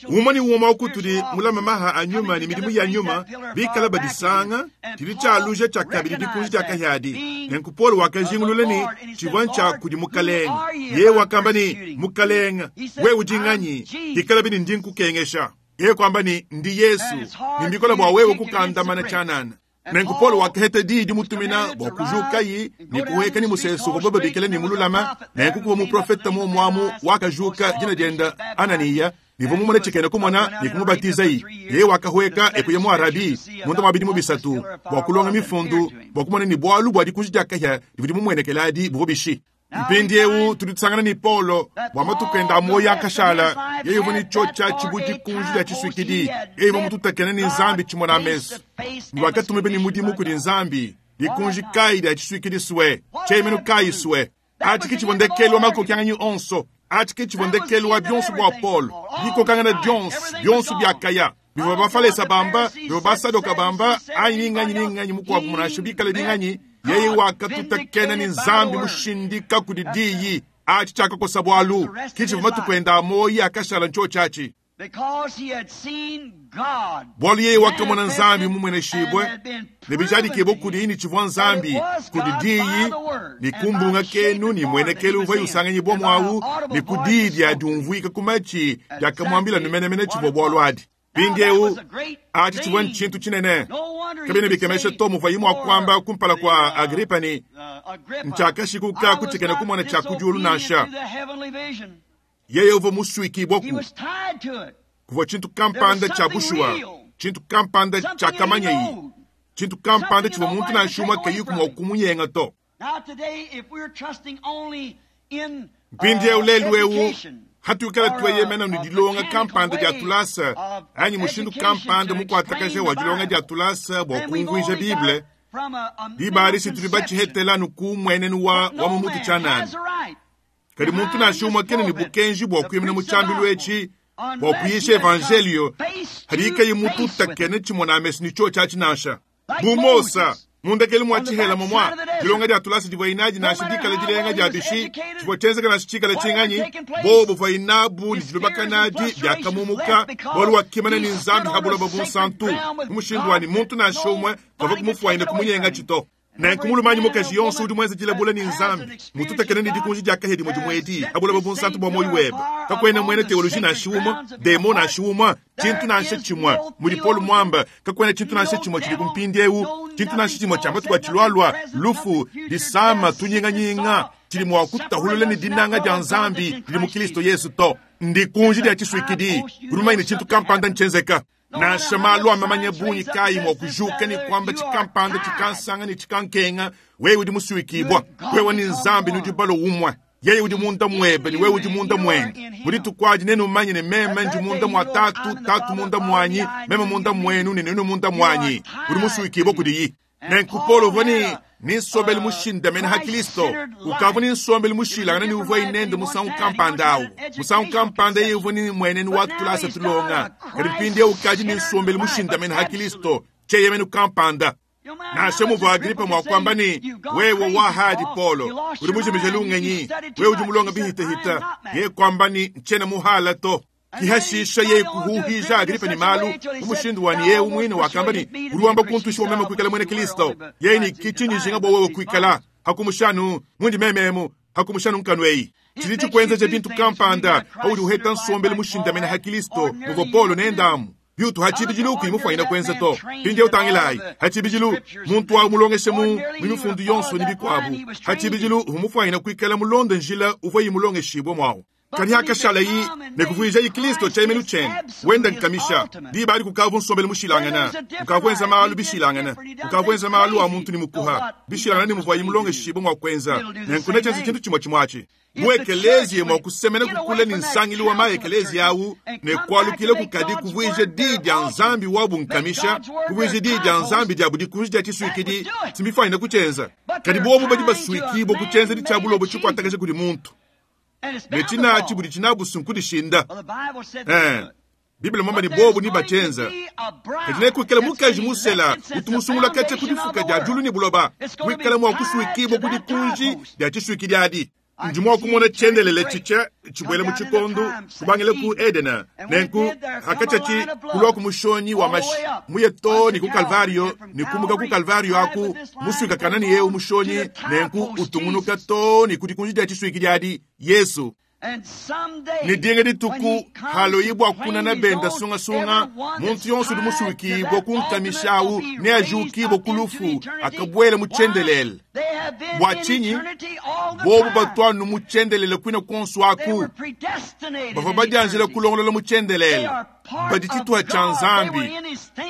Umwe ni umwe wa kutudi mulama maha a nyuma ne midimu ya nyuma bikala badisanga tshidi tshialuja tshia kabidi dikunji dia kahiadi. Nenku Paulo wakajingulula ne tshivua ntshia kudi mukalenga. Yeye wakamba ne mukalenga wewe udi nganyi ikala bini ndi nkukengesha. Yeye kwamba ne ndi Yesu ne mbikola bua wewe kukandamana tshianana. Nenku Paulo wakaheta diyi dimutumina bua kujukayi ne kuheka ni musesu uvua babikila ne mululama. Nenku kuva muprofeta muomuamu wakajuka dina dienda Ananiya nivua mumone tshikene kumona ne kumubatizayi. Yeye wakahweka ekuya mu Arabi munda mua bidimu bisatu bua kulonga mifundu bua kumona ni bualu bua dikunji dia kahia divua dimumuenekeladi buvua bishi. Mpindieu tudi tusangana ni Paulo bua matuku enda a moyo akashala yeye uvua ne tshiotshi tshibu dikunji dia tshisuikidi yeye uvua mututakene ne Nzambi tshimona amesu ne wakatumibe ne mudimu kudi Nzambi dikunji kayi dia tshisuikidi sue tshiemenu kayi sue atshi ke tshivua ndekelu wa makokianganyi onso atshi ke tshivua ndekelu wa bionso bua Paulo dikokangana dionso bionso biakaya bivua bafalesa bamba bivua basadoka bamba anyi ninganyi ninganyi mukuabu munasha bikale binganyi. Yeye wakatutakena ni Nzambi mushindika kudi diyi atshi tshiakakosa bualu kitshivua matuku enda a moyi akashala ntshiotshi atshi bualu yeye wakamona Nzambi mumueneshibwe ne bijadikibwe kudi ne tshivua Nzambi kudi diyi ne kumbunga kenu ne muenekelu uvua usanganyibwa mwawu ne ku diyi dia diumvuika ku matshi diakamuambila numenemene tshivua bualu adi. Mpindieu atshi tshivua ntshintu tshinene kabena bikemesha to muvua imwe akuamba kumpala kwa Agripa ne ntshiakashikuka kutshikene kumona tshia kudiulu nansha. Yeye uvua musuikibwaku kuvua tshintu kampanda tshia bushuwa tshintu kampanda tshiakamanyayi tshintu kampanda tshivua muntu nansha umwe kayiku mua kumunyenga to. Mpindieu lelu eu hatuikala tweyemena ne dilonga kampanda dia tulasa anyi mushindu kampanda mukuatakaja wa dilonga dia tulasa bua kumvuija Bible dibali situdi batshihetela nuku muenenu wa wa mu mutu tshianana. Kadi muntu nansha umwe kena ne bukenji bua kuimina mu tshiambilu etshi bua kuyisha evangelio hadi ikayi mutu utakene tshimona amesu ne tshiotshi atshi nansha. Bu Mosa mundekeli mwa tshihela momwa dilonga dia tulasa divua inadi nansha dikala dilenga dia bishi tshivua tshienzeka nansha tshikala tshinganyi bobo buvua inabu ne dilubakanadi biakamumuka bualu wakimana ne Nzambi habuloba bunsantu mu mushindu wani muntu nansha umwe kavua kumufuanyine kumunyenga tshito. Nenku mulumanyi mukaji yonso udi muenze dilabula ne Nzambi mututakene ne dikunji dia kahia dimue dimue edi habuloba bunsantu bua moyo webe kakwena muena teoloji nansha umwe demo nansha umwe tshintu nansha tshimue mudi Paulo mwamba kakwena tshintu nansha tshimue tshidi kumpindieu tshintu nansha tshimue tshia matuku atshilualua lufu disama tunyinganyinga tshidi mua kutahulula ne dinanga dia Nzambi didi mu Kristo Yesu to ndikunji dia tshisuikidi kulumanye ne tshintu kampanda ntshienzeka. Nansha malu a mamanya bungi kayi mua kujuka ne kuamba tshikampanda tshikansanga ne tshikankenga, wewe udi musuikibwa, wewe ni Nzambi nudi balo umwe. Yeye udi munda mwebe ni wewe udi munda mwende. Muri tukwaji nenu manye ne meme ndi munda mwa tatu, tatu munda mwanyi, meme munda mwenu ne nenu munda mwanyi. Udi musuikibwa kudiyi. Nenku Paulo voni ni nsombelu mushindamene ha Kristo, ukavu ni nsombelu mushilangana ni uvua inende musangu kampanda awu. Musangu kampanda yeye uvua ni mwenenu wa tulasa tulonga. Kadi mpindieu ukaji ni nsombelu mushindamene ha Kristo, cheyemenu kampanda. Nansha muvua Agripa mwa kwamba ni wewe wa hadi Paulo, uri mujimije lungenyi, wewe udi mulonga bihitahita, ye kwamba ni nchena muhala to. Kihashisha ye kuhuhija Agripa ni malu, umushindu wani ye umwine wakamba ni uruwamba kuntusha umema kuikala mwene Kristo. Ye ni kichinyi jinga bo wewe kuikala, hakumushanu mundi mememu, hakumushanu nkanwei. Chilichi kwenza bintu kampanda, hauri uheta nsombele mushindamene ha Kristo, muvo Paulo nendamu. Byutu hachibijilu kuimufanyina kwenza to. Pindi utangilayi, hachibijilu muntu wa mulongeshe mu mifundu yonso ni bikwabu. Hachibijilu humufanyina kuikala mulonde njila uvwa yimulongeshibwe mwawo. Kani hakashala yi nekuvuija yi Kristo chaimenu chene. Wenda nkamisha diba ali kukavu nsombele mushilangana, kukavwenza malu bishilangana, kukavwenza malu a muntu ni mukuha. Bishilangana ni muvwa yimulongeshibwe mwa kwenza. Nenkuna chenzi chintu chimwe chimwachi. Muekelezi mwa kusemena kukula ni nsangili wa maekelezi yawu ne kwalukile kukadi kuvuije di dia nzambi wabu nkamisha, kuvuije di dia nzambi dia budi kuvuije tisuikidi simifanyina kuchenza. Kadi bobu badi basuikibo kuchenza di chabulobo chikwatakaje kuli muntu. Netina chibudi chinabusu nkudishinda. Eh, Biblia mamba ni bobu ni bachenza. Kadi kuikala mukaji musela utumusungula kacha kudifuka dia julu ni buloba. Kuikala mwa kusuikibo kudi kunji dia chisuikidi adi. Njumwa kumona chendelele chicha chibwele muchikondu kubangele ku Edena nenku hakachachi kulwa kumushonyi wa mashi muyeto ni ku Kalvario ni kumuka ku Kalvario aku musuika kanani yeu mushonyi nenku utungunuka to ni kudikunji dia chisuiki jadi Yesu. Ni dinga dituku halo ibwa kuna na benda sunga sunga muntu yonso du musuiki bokunkamishawu ne ajuki bokulufu akabwele muchendelele bwachinyi bobu batwanu muchendelele kwina konsu aku bava badianjela kulongolola muchendelele badititwa cha Nzambi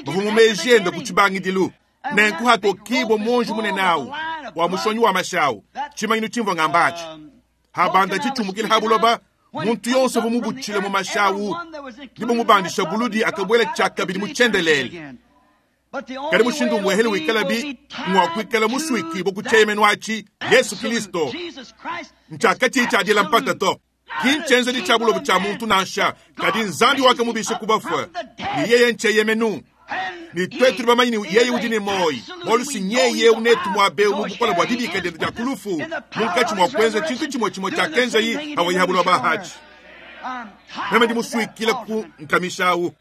bava mumejenda kuchibangidilu nenku hatokibo monji munenawu wa mushonyi wa mashawu chimanyinu chimvo ngambachi habanda chichumukile habuloba muntu yonso vumubuchile mu mashawu nibo mubandisha buludi akabwela chakabili muchendelele kali mushindu mwehele wikala bi mwakwikala musuiki bokuchemenwachi Yesu Kristo nchakachi chadila mpata to kinchenze di chabulobo cha muntu nansha kadi Nzambi wake mubishe kubafwa ni yeye ncheyemenu ni twetu bamanyi ni yeye udi ni moi bolusi nyeye unetu mwabe mubukola bwa dibika dende dia kulufu munkachi mwa kwenza chintu chimwe chimwe cha kenza yi hawayihabulwa bahachi meme ndi musuikila ku nkamishawu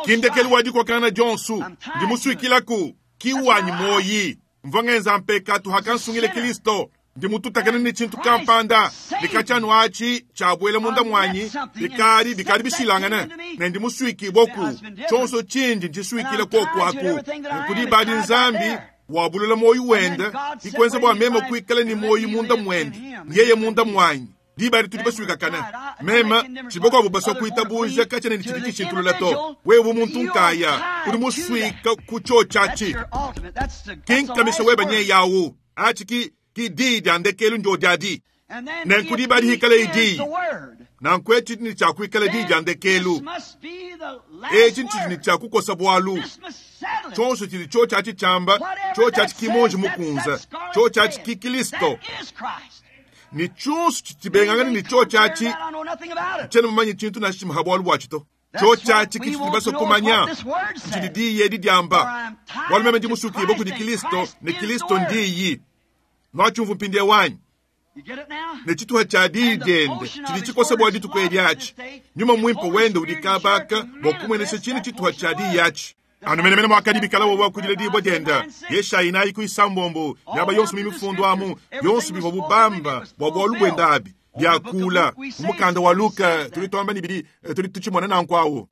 kindekeli wadi kwa kana Jonsu ndi musuikila ku kiwanyi moyi mvangenza mpekatu hakansungile Kristo ndi mututakana ni chintu kampanda likachanu achi chabwele munda mwanyi bikali bikali bishilangana ne ndi musuiki boku chonso chindi ndisuikile koku aku nkudi badi Nzambi wabulula moyi wenda ikwenza bwa mema kuikala ni moyi munda mwende yeye munda mwanyi dibali tuli basuika kana mema chiboko abo baswa kuita buja kachana ni chibiki chintulula to wewe muntu nkaya uri musuika kucho chachi kinkamisha weba nye yawu achi ki ki di diandekelu njo jadi nenkudi bali hikale idi nankweti ni chakuikale di diandekelu echi nchi ni chakukosa bwalu chonso chili cho chachi chamba cho chachi kimonji mukunza cho chachi kikilisto ni chonso chitibengangani ni cho chachi chene mumanyi chintu na chimuhabwalu bwachito cho chachi kichitibaso kumanya nchili di yedi diamba walu meme ndi musuki boku di Kristo ni Kristo ndiyi nwachumvu mpindie wanyi nechituha cha didende chili chikosa bwa dituku elyachi nyuma mwimpo wende ulikabaka bwakumwenesha chini chituha cha diyachi anu menemene mwakadibikala wowa wakudile dibwa denda yeshayi nayi kuisambombo yaba yonso mimifundo amu yonso bivwa bubamba bwa bwalu bwenda abi byakula umukanda wa Luka tulitwamba nibili tuli tuchimona nankwawo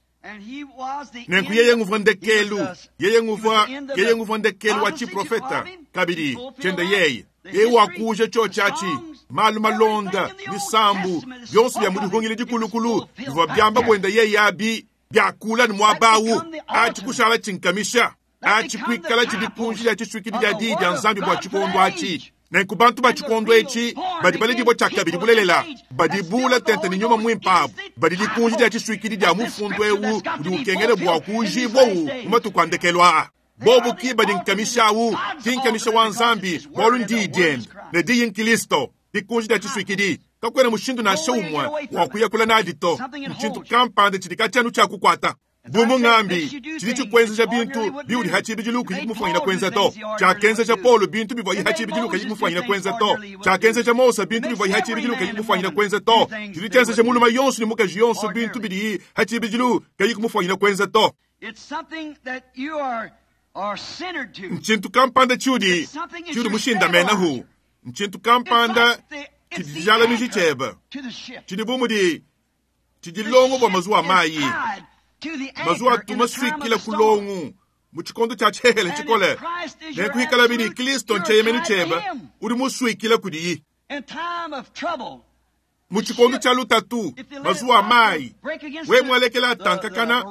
nenku yeye nguvwa ndekelu yeye nguvwa yeye nguvwa ndekelu wa chiprofeta kabili chende yeye yeye wakuja cho chachi malu malonda misambu byonso bya mudihungile dikulukulu bivwa byamba bwenda yeye abi Biakula ni muaba awu atshi kushala tshinkamisha atshi kuikala tshidikunji dia tshisuikidi dia diyi dia Nzambi bua tshikondo atshi. Nenku bantu ba tshikondo etshi badi baledibua tshiakabidi bulelela, badi bula tente ne nyuma muimpe abu, badi dikunji dia tshisuikidi dia mufundu eu udi ukengela bua kuujibua-wu mu matuku a ndekelu aa. Bobu ki badi nkamisha awu, ki nkamisha wa Nzambi, bualu ndiyi diende, ne diyi nkilisto, dikunji dia tshisuikidi. Kakuena mushindu nansha umue wa kuyakula nadi to. Ntshintu kampanda tshidi katshianu tshia kukuata. Bu mungambi, tshidi tshikuenzeja bintu biudi hatshibidilu kuyi kumufanyina kuenza to. Tshiakenzeja Paulo bintu bivuaye hatshibidilu kayi kumufanyina kuenza to. Tshiakenzeja Mose bintu bivuaye hatshibidilu kayi kumufanyina kuenza to. Tshidi tshienzeja mulume yonso ne mukaji yonso bintu bidiye hatshibidilu kayi kumufanyina kuenza to. Ntshintu kampanda tshiudi tshiudi mushindamenahu. Ntshintu kampanda tshidi dijalamiji tshiebe. Tshidi bu mudi tshidi longo bua mazuwa mayi. Mazuwa atumaswikila kulongu mu tshikondo tshia tshihele tshikole. Nenkuikala bidi Kristo ntsheyemenu tshiebe udi muswikila kudiyi. Mu tshikondo tshia lutatu mazuwa mayi we mwalekela atankakana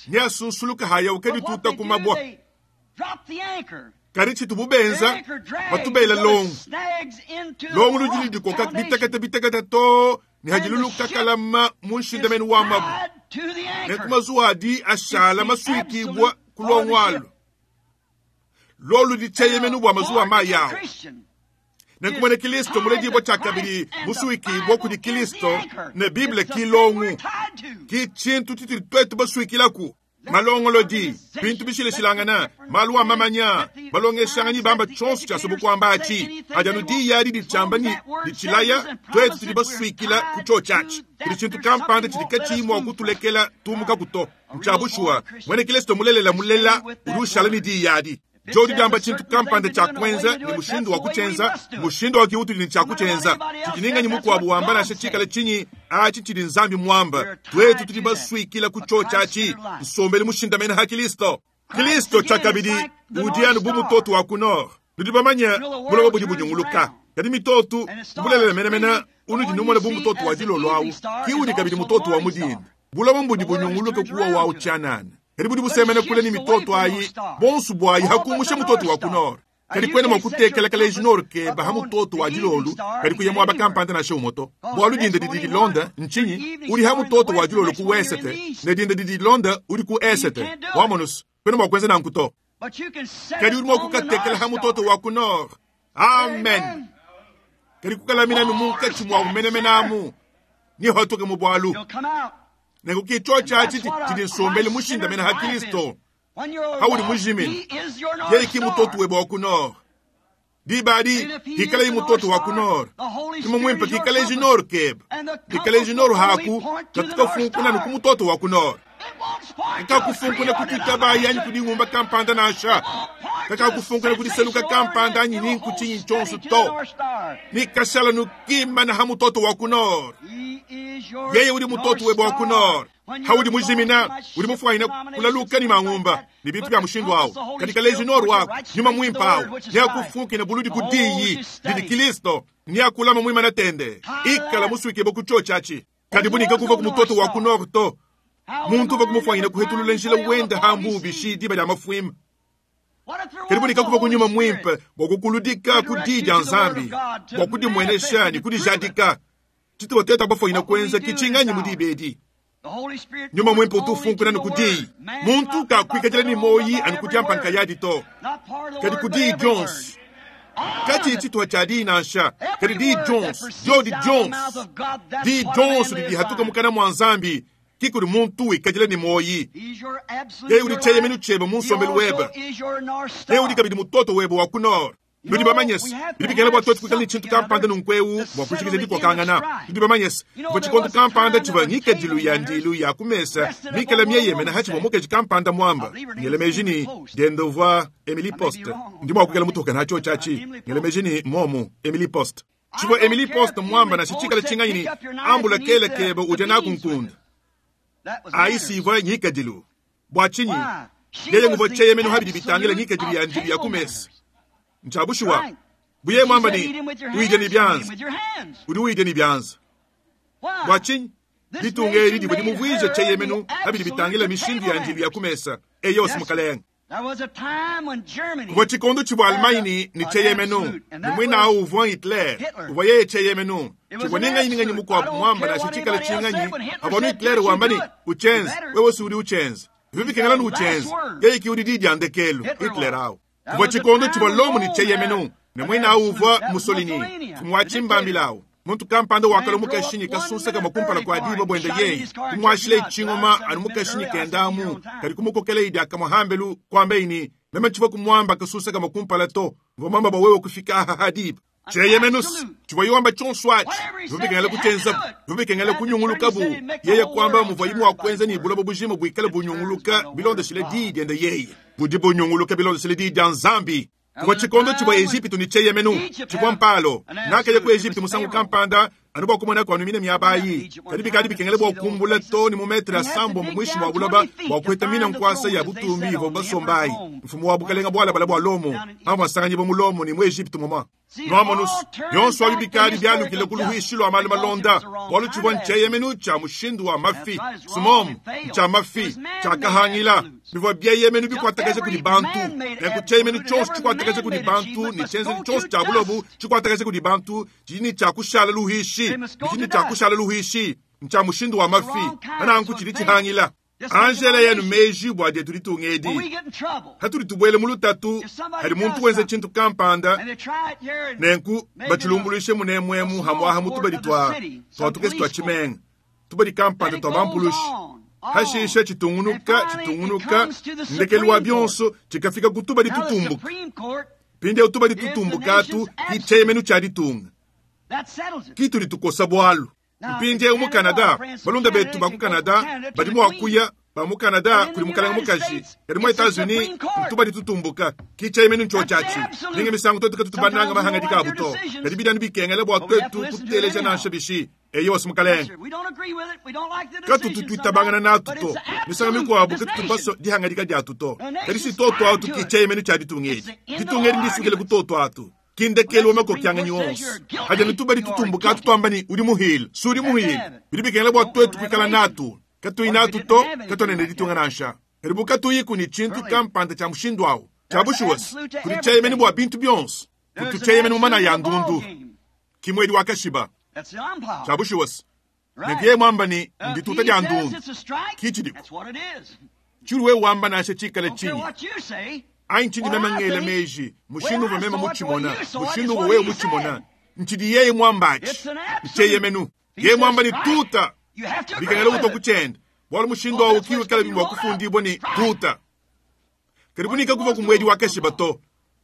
ne asunsuluka haya ukedituta ku mabwa. Kadi tshitu bubenza batubela longu. Longu ludi lidikoka bitakata bitakata to ne hadiluluka kalama mu nshindamenu wa mabu. Nenku mazuwa adi ashala maswikibwa kulongo alu. Lolu ditsheyemenu bua mazuwa mayi awo. Nenku mwene Kristo muledibwa tshiakabidi muswikibwa kudi Kristo ne Bible ki longu. Ki tshintu tshitudi tuetu baswikilaku. Malongolodi, bintu bishileshilangana, malu a mamanya, balongeshanganyi bamba tshonso tshia sobukwamba atshi. Adi anu diyi adi ditshamba ni ditshilaya, tuetu tudi baswikila ku tshio tshiatshi. Kudi tshintu kampanda tshidi katshiyi mua kutulekela tumuka kuto. Ntshia bushuwa, mwene Kristo mulelela mulela udi ushala ne diyi adi. Jodi diamba tshintu kampanda tshia kuenza ne mushindu wa kutshienza, mushindu wa kiutudi ne tshia kutshienza. Tshidininganyi mukuabu wamba nansha tshikala tshinyi atshi tshidi Nzambi muamba. Tuetu tudi baswikila ku tshio tshiatshi, nsombelu mushindamene ha Kristo. Kristo tshiakabidi udi anu bu mutoto wa ku nord. Nudi bamanye buloba budi bunyunguluka. Kadi mitoto bulelela menemene unudi numona bu mutoto wa dilolo awu, ki udi kabidi mutoto wa mudinda. Buloba mbudi bunyunguluka kuwa wawu tshianana. Kadi budi busemena kule ni mitoto ayi, bonso bwayi hakumusha mutoto wa ku nord. Kadi kwena mwa kutekela kaleji nord ke baha mutoto wa dilolo, kadi kuya mwaba kampanda nansha umoto. Bualu dinda didi dilonda ntshinyi, udi ha mutoto wa dilolo ku wesete, ne dinda didi dilonda udi ku esete. Wamonus, kwena mwa kuenza nanku to. Kadi udi mwa kukatekela ha mutoto wa ku nord. Amen. Kadi kukalamina munkatshi mwa umenemenamu, ni hotoke mu bualu. Nenku tshio tshiatshi tshidi nsombelu mushindamene ha Kristo. Haudi mujimine, yeye ki mutoto webe wa ku nord. Diba adi kikala yi mutoto wa ku nord. Nyuma muimpe kikala ji nord kebe. Kikala ji nord haku katukafunkuna ku mutoto wa ku nord. Kakakufunkuna kutuitaba yanyi kudingumba kampanda nansha. Kakakufunkuna kudiseluka kampanda anyi ninku tshinyi tshonso to. Nikashala nukimana ha mutoto wa ku nord. Yeye udi mutoto webe wa ku nord. Haudi mujimina, udi mufanyina kulaluka ni mangumba, ni bintu bya mushindu awo. Katika leji nord wako, nyuma mwimpe awo. Neakufunkina buludi kudiyi, didi Kristo, neakulama mwima na tende. Ikala muswikibwa ku tshio tshiatshi. Kadi bunika kuva ku mutoto wa ku nord to. Muntu uva kumufanyina kuhetulula njila wenda hambu bishi diba lya mafuima. Kadi bunika kuva ku nyuma mwimpe bua kukuludika ku diyi dia Nzambi, bua kudimwenesha ni kudijadika. Tshituwa tuetu abafanyina kuenza kitshinganyi mu diba edi. Nyuma mwimpe utufunkuna ni kudiyi. Muntu kakuikadila ni moyi anu kudiampa nkayadi to. Kadi kudiyi Jones. Kati tshituwa tshia diyi nansha. Kadi diyi Jones, Jodi Jones. Diyi Jones didi hatuka mukana mwa Nzambi. Kikudi muntu wikadila ni moyi. Yeye udi tsheyemenu tshiebe mu nsombelu webe. Yeye udi kabidi mutoto webe wa ku nord. Nudi bamanyese, bidi bikengela bua tuetu kuikala ne tshintu kampanda nunkuewu bua kushikija dikokangana. Nudi bamanyese, kuvua tshikondo kampanda tshivua ngikadilu ya ndilu ya ku mesa mikala mieyemena hatshivua mukaji kampanda muamba. Ngela meji ni diende uvua Emily Post. Ndi mua kuikala mutoka natshio tshiatshi. Ngela meji ni momu Emily Post. Tshivua Emily Post muamba nansha tshikala tshinganyi ni ambula kele kebe udia naku nkunda. Aisi ivua ngikadilu. Bua tshinyi? Yeye nguvua tsheyemenu habidi bitangila ngikadilu ya ndilu ya ku mesa. Nchabushuwa. Buye mwamba ni uide ni byanza. Udi uide ni byanza. Bua tshinyi? Ditunga edi divua dimuvuije tshieyemenu pa bidi bitangila mishindu ya ndilu ya ku mesa. Eyo, mukalenge. Kuvua tshikondo tshivua Allemagne ne tshieyemenu, ne muinawu uvua Hitler, uvua yeye tshieyemenu. Tshivua ne nganyi ne nganyi mukuabu muamba nansha tshikale tshinganyi, pavua anu Hitler wamba ne, Utshienze, wewe si udi utshienza. Bivua bikengela ne utshienze, yeye ke udi di dia ndekelu, Hitler awu. Kuvua tshikondo tshivua Lomo ne tshieyemenu, ne muinawu uvua Mussolini, mfumu wa tshimbambila awu. Muntu kampanda wakalua mukashi kasunsa kamue kumpala kua diba buende yeye, kumuashile tshingoma anu mukashi kenda amu, kadi kumukokela idi akamue hambelu kuamba ne, meme tshivua kumuamba kasunsa kamue kumpala to, mvua muamba bua wewe kufika aha ha diba. Tshieyemenu tshivua yiwamba tshionso atshi, bivua bikengela kutshienzabu, bivua bikengela kunyungulukabu. Yeye kuamba muvua yimu wa kuenza ne buloba bujima buikale bunyunguluka bilondeshile diyi diende yeye. Budi bunyunguluka bilondeshile diyi dia Nzambi. Kuvua tshikondo tshivua Ejipitu ne tshieyemenu, tshivua mpalo. Nakaya ku Ejipitu musangu kampanda, anu bua kumona kua numina miaba ayi. Kadi bikadi bikengela bua kumbula to ne mu metre asambombo muinshi mua buloba bua kuheta mina nkuasa ya butumbi ivua basomba ayi. Mfumu wa bukalenga bualabala bua Lomo, pamvua nsanganyibua mu Lomo ne mu Ejipitu moma. Nuamonusu, bionso abi bikadi bialukile ku luhuishi lua malu malonda, bualu tshivua ntshieyemenu tshia mushindu wa mafi, sumomu, tshia mafi, tshia kahangila. Bivua bieyemenu bikuatakaja kudi bantu. Nenku tshieyemenu tshionso tshikuatakaja kudi bantu, ne tshienzedi tshionso tshia bulobu tshikuatakaja kudi bantu, tshidi ne tshia kushala luhuishi, tshidi ne tshia kushala luhuishi, ntshia mushindu wa mafi, nanku tshidi tshihangila. Angela yenu meji bua dietu ditunga edi. Hatudi tubuele mu lutatu, hadi muntu wenza tshintu kampanda, nenku batshilumbuluishe munemuemu hamwaha mu tubadi tua tuatukesi tua tshimenga, tubadi kampanda tua bampulushi. Hashisha tshitungunuka, tshitungunuka, ndekelu wa bionso tshikafika ku tubadi tutumbuka. Pindiewu tubadi tutumbuka atu ki tshieyemenu tshia ditunga. Ki tudi tukosa bualu. Mpindiewu mu Canada, balunda betu ba ku Canada badi mua kuya ba mu Canada kudi mukalenge mukaji, kadi mu Etats-Unis tubadi tutumbuka ki tshieyemenu ntshotshatshi. Ninga misangu twetu katutu bananga mahangadika abu to, kadi bidi bikengela bua twetu kuteleja nansha bishi. Eyo si mukalenge. Katutu tuitabangana natu to, misangu mikuabu katutu baso dihangadika diatu to, kadi si toto atu ki tshieyemenu tshia ditunga edi. Ditunga edi ndisukile ku toto atu. Kindekelu wa makokianganyi wonso. Hadi anu tubadi tutumbuka atu tuamba ni udi muhile, si udi muhile. Bidi bikengela bua twetu kuikala natu. Katuyi natu to, katuena ne ditunga nansha. Kadi bu katuyi kuni tshintu kampanda tshia mushindu awu, tshia bushuwasi, kudi tshieyemenu bua bintu bionso. Kutu tshieyemenu mu mana ya ndundu. Kimwedi wa kashiba. Tshia bushuwasi. Nenku yeye mwamba ni ndituta dia ndundu. Ki tshidiku. Tshilu wewe wamba nansha tshikale tshinyi. Anyi nchindi meme ngela meji, mushindu uvua meme mutshimona, mushindu uvua wewe mutshimona. Nchidi yeye mwambatshi, ntshieyemenu. Yeye mwamba ni tuta, bikengela kutua kutshienda. Bualu mushindu awu kiwikala bimua kufundibua ni tuta. Kadi bunika kuva ku mwedi wa kashiba to.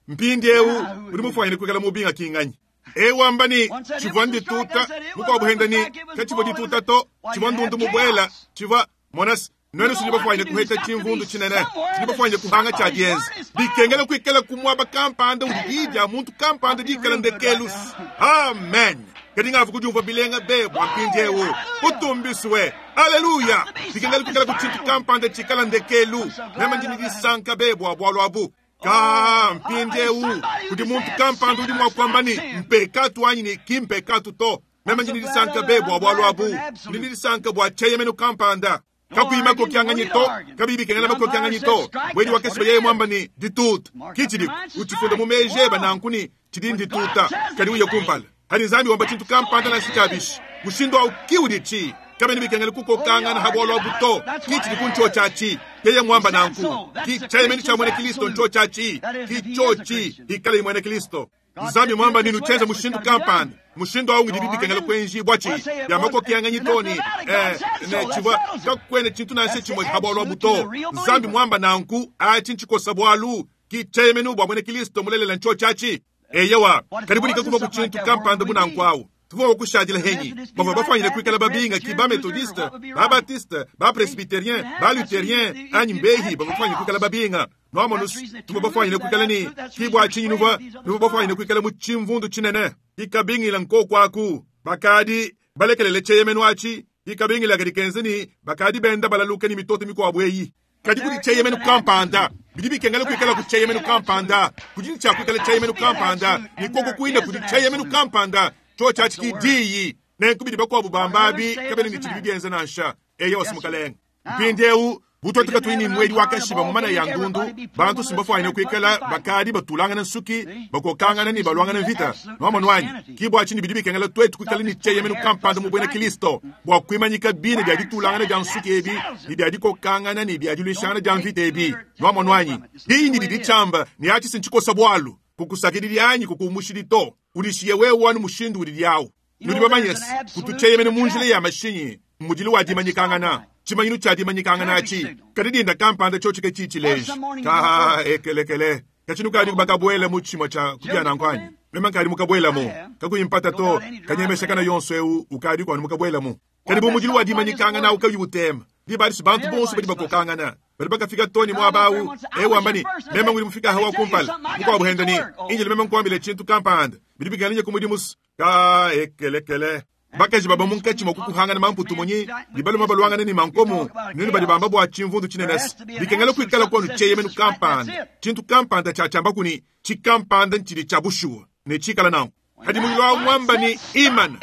Mpindiewu udi mufuanyine kuikala mubinga kinganyi. Ewu amba ni tshivua ndituta, mukuabu henda ni katshivua dituta to, tshivua ndundu mubuela, tshivua monasi. Nwenu sindi bafuanyine kuheta tshimvundu tshinene, sindi bafuanyine kuhanga tshia dienza. Bikengela kuikala ku muaba kampanda udi diyi dia muntu kampanda dikala ndekelu. Amen. Kadi ngavu kudiumvua bilenga be bua mpindiewu. Utumbiswe. Haleluya. Bikengela kuikala ku tshintu kampanda tshikala ndekelu. Meme ndi ne disanka be bua bualu abu. Ka mpindiewu kudi muntu kampanda udi mua kuamba ni mpekatu anyi ni ki mpekatu to. Meme ndi ne disanka be bua bualu abu. Ndi ne disanka bua tshieyemenu kampanda. Kakuyi makokianganyi to, kabiyi bikengela makokianganyi to. Wedi wa kesiba yeye mwamba ni dituta. Ki tshidiku, utshifunda mu meji eba nanku ni tshidi ndituta, kadi uye kumpala. Hadi Nzambi wamba tshintu kampanda nansha tshia bishi. Mushindu awu ki udi tshi. Kabena bikengela kukokangana ha bualu abu to. Ki tshidiku ntshotshatshi. Yeye mwamba nanku. Ki tshieyemenu tshia mwene Kristo ntshotshatshi. Ki tshotshi ikale mwene Kristo. Nzambi mwamba ni nutsheza mushindu kampanda. Mushindu awu ngidi bikengela kwenji bwachi. Ya makokianganyi to ni, eh, ne tshivua kakwene tshintu nansha tshimue ha bualu abu to. Nzambi mwamba nanku, atshi ntshikosa bualu. Ki tshieyemenu bua mwene Kristo mulelela ntshotshatshi. Eyewa, kadi bunika kuva ku tshintu kampanda bunanku awu. Tuvua kushadila henyi. Bavua bafuanyine kuikala babinga ki ba methodiste, ba baptiste, ba presbytérien, ba luthérien, anyi mbehi bavua bafuanyine kuikala babinga. Nuamonus, tuvua bafuanyine kuikala ni ki bua tshinyi nuvua, nuvua bafuanyine kuikala mu tshimvundu tshinene. Ikabingila nkoko aku, bakadi balekelele tshieyemenu atshi, ikabingila kadi kenze ni bakadi benda balaluka ni mitoto mikuabu eyi. Kadi kudi tshieyemenu kampanda, bidi bikengela kuikala ku tshieyemenu kampanda, kudi ni tshia kuikala tshieyemenu kampanda, ni koko kuinda kudi tshieyemenu kampanda. Tshotshia tshi ki diyi, Nenku bidi bakuabu bamba abi kabena ne tshidi bienza nansha. Eyo simukalenga. Mpindieu butwetu katuyi ni mwedi wa kashiba mu mana ya ndundu, bantu simbafuanyine kuikala bakadi batulangana nsuki, bakokangana ni balwangana mvita. Nwamonu wanyi, kibwa chini bidi bikengela twetu kuikala ni cheyemenu kampanda mu bwena Kristo, bwa kuimanyika bine bya ditulangana bya nsuki ebi, ni bya dikokangana ni bya dilwishangana bya mvita ebi. Nwamonu wanyi, hii ndi dichamba ni achi sinchikosa bwalu, kukusakidili anyi kukumushilito, ulishiye wewe wanu mushindu ulilyao. Nudi bamanyesi, kutucheyemenu munjile ya mashinyi, mudili wa dimanyikangana. Chimanyinu cha dimanyikangana achi kadidinda kampanda chochike chichileji ka ekelekele kachinu kali bakabwela mu chimo cha kubyana nkwanyi mema nkali mukabwela mu kakuyimpata to kanyemesha kana yonso eu ukali kwanu mukabwela mu kali bu mudili wa dimanyikangana ukayutema dibalisi bantu bonso badi bakokangana bali bakafika toni mwabawu ewambani mema nguli mufika hawa kumpala mukwabuhenda ni injili mema nkwambile chintu kampanda bidi bikalinye kumudimusu ka ekelekele bakaji baba munkachi mwakukuhangana mamputu munyi libaluma balwangana ni mankomo nini bali bamba bwa chimvundu chinenesi bikengela kuikala kwanu cheyemenu kampanda chintu kampanda chachamba kuni chikampanda nchili cha bushuwa ne chikala nawo hadi mulilo mwamba ni imana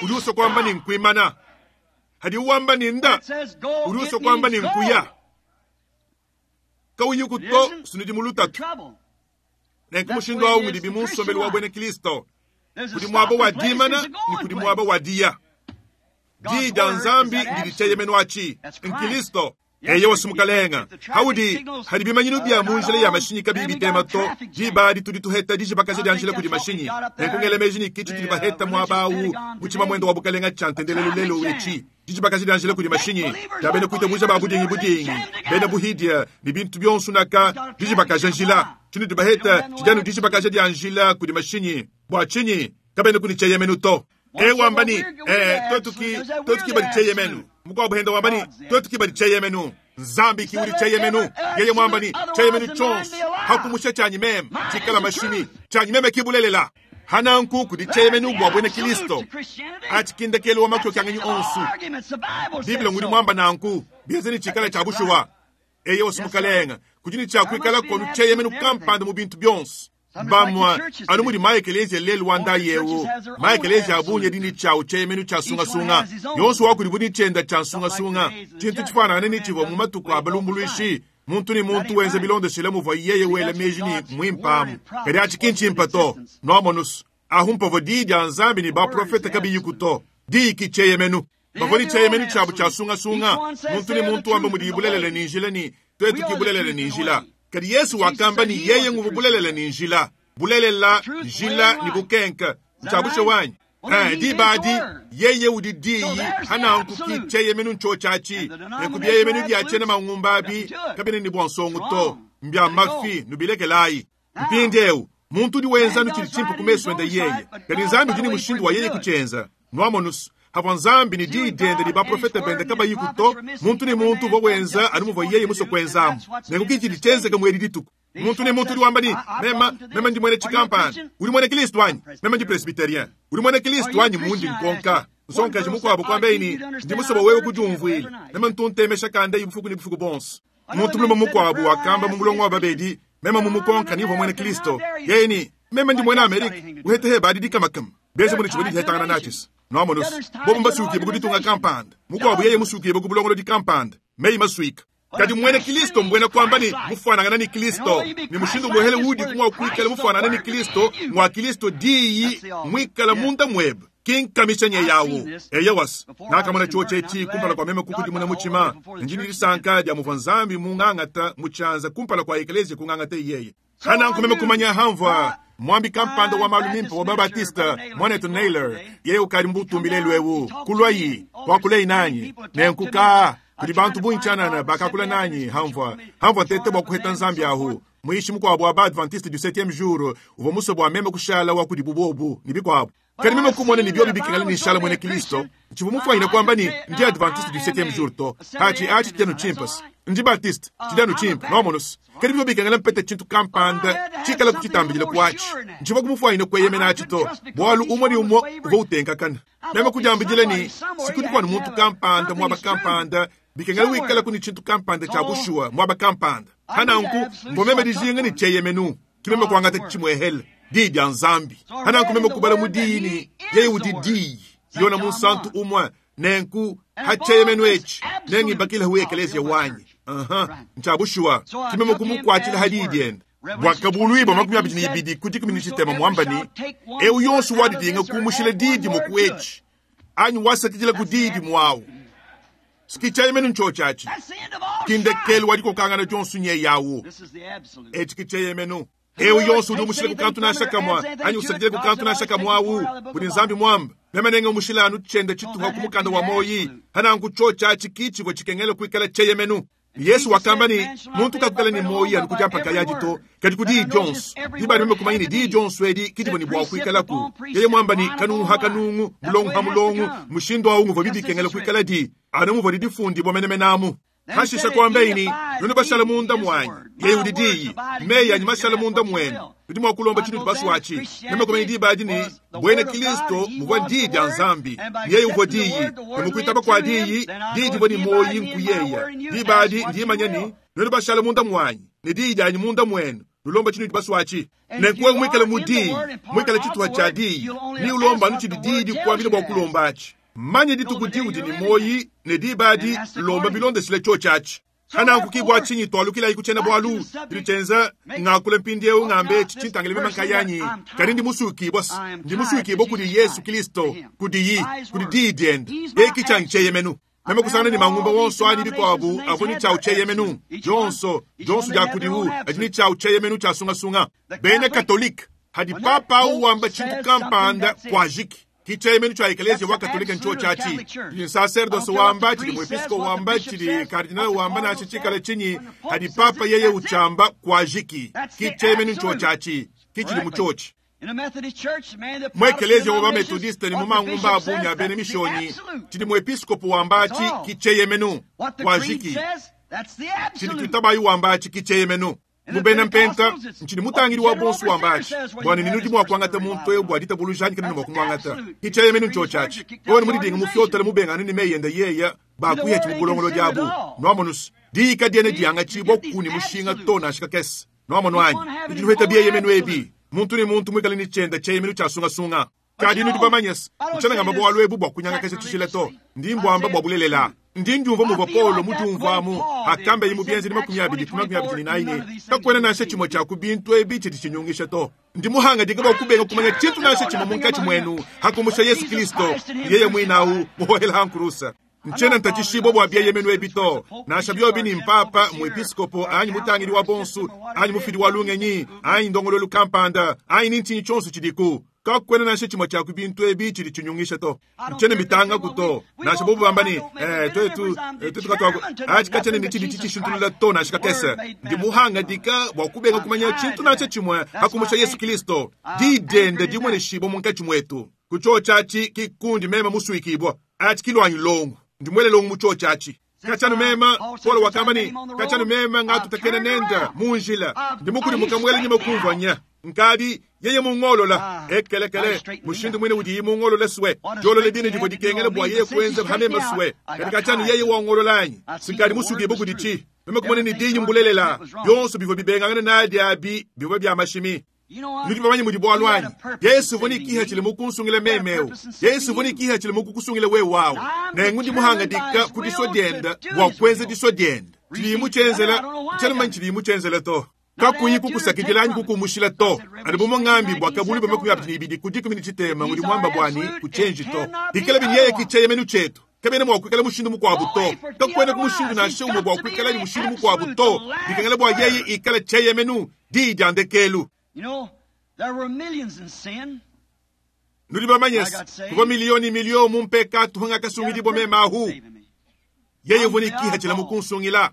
uliuso kwamba ni nkuimana hadi uwamba ni nda uliuso kwamba ni nkuya kauyi kuto sunidi mulutatu nenkumushindo awu ngidi bimunsomeli wa bwene Kristo kudi mwaba wa dimana ni kudi mwaba wa diya di da nzambi ndidi cheyemenu achi nkilisto eye wasimukalenga haudi hadi bimanyinu bya munjila ya mashinyi kabi bitema to dibadi tudi tuheta dijibakaja dya njila kudi mashinyi nenkungelemeji ni kichi tudi baheta mwabawu muchima mwendo wa bukalenga cha ntendelelo lelo ulechi dijibakaja dya njila kudi mashinyi dabene kuite muja ba budingi budingi bena buhidia ni bintu byonsu naka dijibakaja njila chini tubaheta chijanu dijibakaja dya njila kudi mashinyi bwa chinyi kabene kuni cheyemenu to ewambani eh totuki totuki bali cheyemenu mukwa buhenda wambani totuki bali cheyemenu nzambi kiuli cheyemenu yeye mwambani cheyemenu chonso hakumusha chanyi meme chikala mashimi chanyi meme kibulelela hananku kudi cheyemenu bwa bwene Kristo achikindekele wa makyo kyangenyi onsu Biblia ngudi mwamba nanku biezeni chikala cha bushuwa eye osimukalenga kujini cha kuikala konu cheyemenu kampanda mu bintu byonso bamwa anu mudi maekelezia lelu wanda yewu maekelezia abunye dini chawu cheyemenu cha sungasunga yonso wakuli buni chenda cha sungasunga chintu chifanana ni chivo mu matuku abalumbuluishi muntu ni muntu wenze bilondeshele muva yeye wele meji ni mwimpamu kadi achikinchimpa to noamonusu ahumpavo dii dya nzambi ni baprofeta kabiyikuto dii ki cheyemenu bavoni cheyemenu chabu cha sungasunga muntu ni muntu wamba mudi ibulelele ni njila ni twetu kibulelele ni njila kadi Yesu wakamba ni yeye nguvu bulelela ni njila bulelela njila ni bukenka nchabushe wanyi eh dibadi yeye udi diyi hananku ki cheyemenu nchochachi nekubyeyemenu dyachena mangumbabi kabene ni bwansongo to mbya mafi nubilekelayi mpindeu muntu udi wenza nuchili chimpu kumeso enda yeye kadi nzambi udi ni mushindu wa yeye kuchenza nwamonus hava nzambi ni dii dende ni baprofeta bende kabayikuto muntu ni muntu vo wenza anu yeye muso kwenzamu nenkukichili chenzeka mweri dituku muntu ni muntu uli wamba ni mema mema ndi mwene chikampani uli mwene Kristo wanyi mema ndi presbyterien uli mwene Kristo wanyi mundi nkonka nsonkaji mukwabo kwambeini ndi musobo wewe kujumvwile mema ntuntemesha kanda ibufuku ni bufuku bonso muntu mulume mukwabo wakamba mumulongo wa babedi mema mumukonka nivo mwene Kristo yeye ni mema ndi mwene Amerika uhetehe badi dikamakama beze muni chibodi hetangana nachis noamonus bobo mbasukiye bukuditunga kampanda mukwabo yeye musukiye bukubulongolo di kampanda meyi masuika kadi mwene Kristo mbwena kwamba ni mufanangana ni Kristo ni mushindu muhele udi kumwa kuikala mufanana ni Kristo mwa Kristo diyi mwikala munda mwebe kinkamisha nye yawo eyewas nakamona choche chi kumpala kwa meme kukuti muna muchima njini lisanka dya muva nzambi mung'ang'ata muchanza kumpala kwa eklezia kung'ang'ata yeye hananku meme kumanya hamva mwambi kampanda wa malumimpa wa babatista mwanetu Naylor yeye ukali mbutumbile lwewu kulwayi wakulei nanyi nenkuka kuli bantu bunchanana bakakula nanyi hamva hamva tete bwa kuheta nzambi ahu muishi mukwabo wa baadventiste du septième jour uva muso bwa meme kushala wa kudi bubobu ni bikwabo kadi meme kumona ni byobi bikingala ni nshala mwene Kristo nchivu mufwanyina kwamba ni ndi adventiste du septième jour to hachi achi tenu chimpas ndi batiste chidanu chimpa nomonus kadi byo bikingala mpete chintu kampanda chikala kuchitambila kwachi nchivu kumufwanyina kweyemena achi to bwalu umwe ni umwe uva utenkakana meme kujambijile ni sikudi kwanu muntu kampanda mwaba kampanda bikengala wikala kuni chintu kampanda cha bushuwa mwaba kampanda hananku mbomeme dijinga ni cheyemenu kimeme kwangata chimwehele dii dya nzambi hananku meme kubala mudiyi ni yeye udi diyi Yona Munsantu umwe nenku hacheyemenu echi nengibakile ekeleziya wanyi aha nchabushuwa kimeme kumukwatila hadidienda bwakabuluibwa makumi abidi ni ibidi kudikumi ni tshitema mwambani eu yonso wadidinga kumushila didi muku echi anyi wasakidila ku didi mwawu sikicheyemenu nchochachi kindekelu wadikokangana jonso nye yawu echi kicheyemenu eu yonso udi umushile kukantu nashakamwa anyi usakidile kukantu nashakamwawu kudi nzambi mwamba memenenge umushila anu chende chituha kumukanda wa moyi hanangu chochachi kichivwe chikengele kuikala cheyemenu Yesu wakamba ni muntu kakukala ni moyi anu kujampa kayaji to kadi kudi Jones ibali meme kumanyini di Jones wedi kidibwe ni bwa kuikala ku yeye mwamba ni kanungu hakanungu mulongu ha mulongu mushindo wa ungu vobidi kengele kuikala di anu muvodi difundi bomene menamu hashisha kwamba ini nunu bashala munda mwanyi yeye udi diyi meyi anyi mashala munda mwenu tudi mwa kulomba chinu tubaswachi meme kumanyini dibadi ni bwene Kristo muvwa ndi ya nzambi yeye uvwa diyi nemukuitaba kwa diyi didi vwa ni moyi nkuyeya dibadi ndimanyani nunu bashala munda mwanyi ne diyi dyanyi munda mwenu lulomba chinu tubaswachi nenkuwe mwikale mu diyi mwikale chituha cha diyi ni ulomba anu chidi diyi dikuambile bwa kulombachi manye dituku diudi ni moyi ne dibadi lomba bilondesile chochachi hananku chinyi twalukila ikuchena bwalu dilichenza ngakule mpindieu ngambe chichintangile memankayanyi kadi ndi musukibwa ndi musukibwa kudi Yesu Kristo kudi kudi didienda eki chancheyemenu meme kusangana ni mangumba wonso ani bikwabu abo ni chau cheyemenu jonso jonso ja kudiwu ajini chau cheyemenu cha sungasunga bene katolika hadi papa uwamba chintu kampanda kwajiki kicheyemenu cha eklezia wa katolika ncho chachi chili sacerdoce wamba chili mwepisko wamba chili kardinal wamba na chichikala chinyi hadi papa yeye uchamba kwajiki kicheyemenu ncho chachi kichili muchochi mwekelezia wa metodiste ni mumangumba abunya bene mishonyi chili mwepiskopo wambachi kicheyemenu kwajiki chili tutabayi wambachi kicheyemenu mubena mpenta nchini mutangiri wa bonsu wambachi bwana ninu dimwa kwangata muntu eyo bwa ditabulujani kana mwakumwangata kicheyemenu ncho chachi oni mulidinga mufyotela mubengani ni meyenda yeya bakuya chimubulongolo jabu nwamonus diika diene dianga chibwa kuni mushinga tona ashika kesi nwamonwanyi idinuheta biyeyemenu ebi muntu ni muntu mwikale ni chenda cheyemenu chasungasunga kadi nudi bamanyesi nchanangamba bwalu ebu bwa kunyanga kese chishile to ndi mbwamba bwa bulelela ndi ndiumva muvwa Paulo mudiumvamu akambe yimu byenzi ni makumi abili ku makumi abili na ine kakwena nashe chimwe cha kubintu ebi chiti chinyungisha to ndi muhanga dika bwa kubenga kumanya chitu nashe chimwe munkachi mwenu hakumusha Yesu Kristo yeye mwinawu muhohela hankurusa nchena ntachishibwa bwa byeyemenu ebi to nasha byobi ni mpapa muepiskopo anyi mutangiri wa bonsu anyi mufidi wa lungenyi anyi ndongololu kampanda anyi nintinyi chonso chidiku kakwena nashe chimwe cha kubintu ebi chili chinyungisha to nchene mitanga kuto nasha bobu bambani eh twetu twetu katwa achi kachene ni chili chichishintulula to nasha kakese ndi muhanga dika bwa kubenga kumanya chintu nashe chimwe hakumusha Yesu Kristo didende dimwe shibo munkachi mwetu kuchochachi kikundi mema musuikibwa achi kilwanyi longo ndimwele longo muchochachi kachanu mema Paulo wakambani kachanu mema ngatutakene nenda munjila ndimukuli mukamwele nyima kumvanya nkadi yeye mungolola ekelekele mushindu mwine udi mungolola swe jolole dine divo dikengele bwa yeye kwenza hamema swe kadi kachanu yeye wangololanyi sinkadi musukibo kudichi meme kumone ni dinyi mbulelela yonso bivo bibengangane nadi abi bivo bya mashimi nudi bamanyi mudi bwalwanyi Yesu voni kiha chili mukunsungile memeu Yesu voni kiha chili mukukusungile we wawu nengu ndi muhanga dika kudiswa dyenda bwa kwenza diswa dyenda chilimu chenzela chalimanyi chilimu chenzela to kakuyi kukusakidila kukumushila to ani bumong'ambi bwa kabuli bwa makumi abili ibidi kudikumi ni chitema ngudi mwamba bwani kuchenji to dikela binyeye kicheyemenu chetu kabene mwa kuikala mushindu mukwabu to kakwena kumushindu nashe umwe bwa kuikala ni mushindu mukwabu to dikengela bwa yeye ikala cheyemenu di dyandekelu You know, there were millions in sin. Nudi bamanyesi kuva milioni milio mumpeka tuhanga kasungidi bome mahu yeye voni kiha chila mukunsungila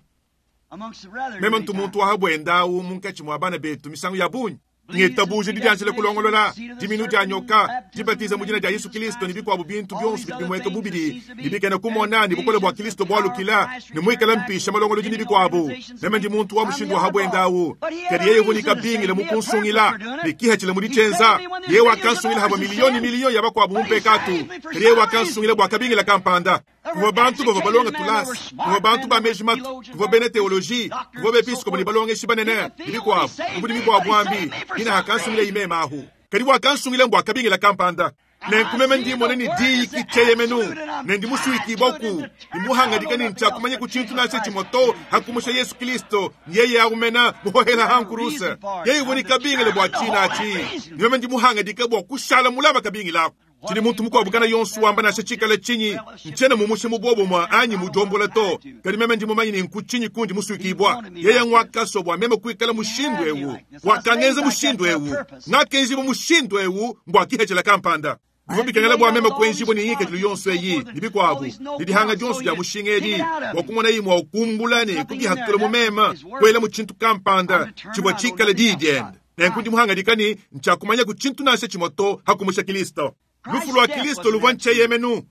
meme ntu muntu wahabwendawu munkachi mwa bana betu misango ya bunyi ngetabuje didianjile kulongolola diminu dia nyoka dibatiza mujina dia Yesu Kristo ni bikwabu bintu byonso bimweka bubili nibikene kumona ni bukole bwa Kristo bwalukila ni mwikala mpisha malongolo dini bikwabu meme ndi muntu wa mushindu wahabwendawu kadi yeye vunika bingile mukunsungila nikihachile mudichenza yeye wakansungila habwa milioni milioni ya bakwabu mumpekatu kadi yeye wakansungila bwakabingila kampanda kuva bantu bava balonga tulasi kuva bantu ba mejimatu kuva bene teoloji kuva bepiskopo ni balonga eshibanene ibikwabu kubudi bikwabu ambi ina hakansungila imema ahu kadi wakansungila mbwa akabingila kampanda Nenku meme ndimona ne diyi ki tshieyemenu ne ndi musuikibua ku ndimuhangadika ne ntshiakumanya ku tshintu nansha tshimue to hakumusha Yesu Kristo yeye aumena muhohela hankurusa yeye uvua ne kabingile bua tshina atshi ne meme ndimuhangadika bua kushala mulaba kabingilako tshidi muntu mukuabu kana yonso wamba nansha tshikala tshinyi ntshiena mumushe mu bobomwa anyi mudiombola to kadi meme ndi mumanyi ne nku tshinyi kundi musuikibua yeye ngwakaswa bua meme kuikala mushindu ewu wakangenza mushindu ewu ngakenjibua mushindu ewu mbua kihecela kampanda bivua bikengela bua meme kuenjibua ne ngikadilu yonso eyi ne bikuabu ne dihanga dionso dia mushinga edi bua kumona yi mua kumbula ne kubihatula mu meme kuela mu tshintu kampanda tshivua tshikala diyi diende nenku ndi muhangadika ne ntshiakumanya ku tshintu nansha tshimue to hakumusha Kristo. Lufu lwa Kristo luvua ntshieyemenu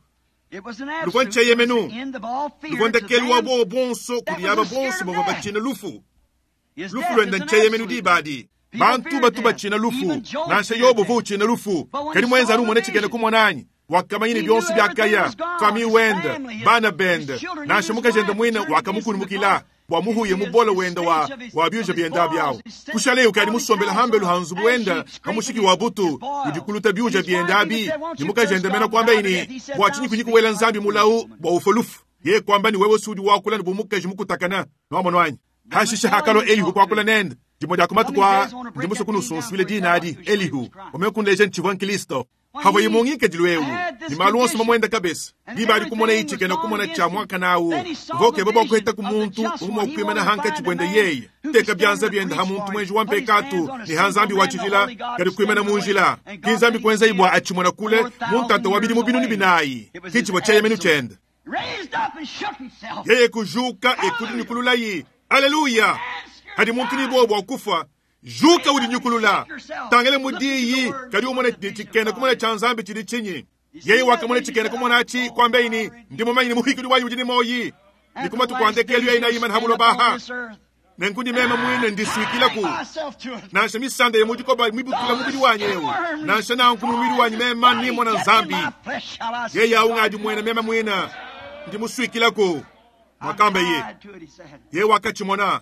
luvua ntshieyemenu luvua ndekelu wa bobo bonso kudi aba bonso bavua batshina lufu. Lufu luenda ntshieyemenu dibadi bantu batu batshina lufu nansha Yobo uvua utshina lufu kadi mwenza anu umone tshikena kumona anyi wakamanya ne bionso biakaya fami wenda bana bende nansha mukajende muine wakamukunumukila bua muhuye mubola wenda wa wa byuja byenda byawo kushale ukadi musombela hambelu hanzubu wenda hamushiki wa butu udi kuluta byuja byenda abi ni mukajende mena kwamba ini bua tshinyi kunyi kuwela nzambi mulau bua ufa lufu ye kwamba ni wewe sudi wakula ni bumukaji mukutakana nwamona wanyi hashisha hakalo Elihu kwakula nende dimwe dia kumatu kwa ndimuso kunusunsuile dina adi Elihu omekunleja ntshivua nkilisto hava imungikadilu ewu ni malu onso mamwenda kabisa diba adi kumona itshikena kumona tshia mwaka nawu vokeba bua kuheta ku muntu umua kuimana hanka tshibwende yeye teka byanza byenda ha muntu mwenji wa mpekatu ni ha nzambi wa tshijila kadi kuimana munjila ki nzambi kuenza ibwa atshimona kule muntata wa bidimu binunu binayi ki tshibua tshieyemenu tshiende yeye kujuka ekudi nikululayi aleluya hadi muntu ni bobo akufa juka udi nyukulula tangele mudiyi kadi umone tshikena kumona tshia nzambi tshidi tshinyi yeye wakamona tshikena kumona atshi kwamba ini ndi mumanyi ni muhikidi wanyi udi ni moyi nikumatu kuandekelu yayi nayimana habulobaha nenkundi meme mwine ndisuikilaku nansha misanda ye mudikoba mibutula mubili wanyi ewu nansha nanku mubili wanyi mema nimona nzambi yeye aungadi mwene meme mwine ndimusuikilaku mwakamba ye ye wakatshimona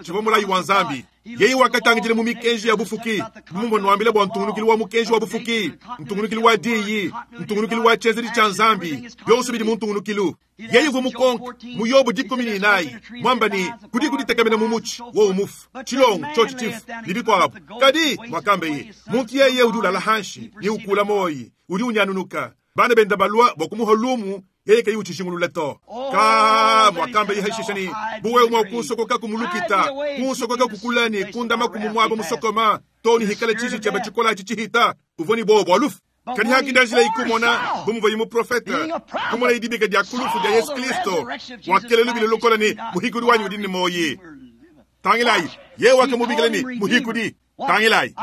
tshivua mulayi wa nzambi yeye wakatangidile mu mikenji ya bufuki bumumbo nwambile bua ntungunukilu wa mukenji wa bufuki ntungunukilu wa diyi ntungunukilu wa tshienzedi tshia nzambi bionso bidi mu ntungunukilu yeye uvua mukonka mu Yobo dikumi ne inayi mwamba ni kudi kuditekamena mu mutshi wowu mufu tshilongo tshotshi tshifu ne bikuabu kadi mwakamba ye muntu yeye udi ulala hanshi ni ukula moyi udi unyanunuka bana benda balua bua kumuha lumu yeye kayi utshishingulula to ka mwakamba yihaishisha ni buwe mwa kunsokoka kumulukita kunsokoka kukulani kundama kumumwaba musokoma to ni hikala tshishi tshaba tshikola atshi tshihita uvua ni bobo alufu kadi hakinda njila ikumona bumuva yimu profeta kumona idibika dia kulufu dia Yesu Kristo wakele lubile lukola ni muhikudi wanyi udi ni moyi tangilayi ye wakamubikila ni muhikudi tangilayi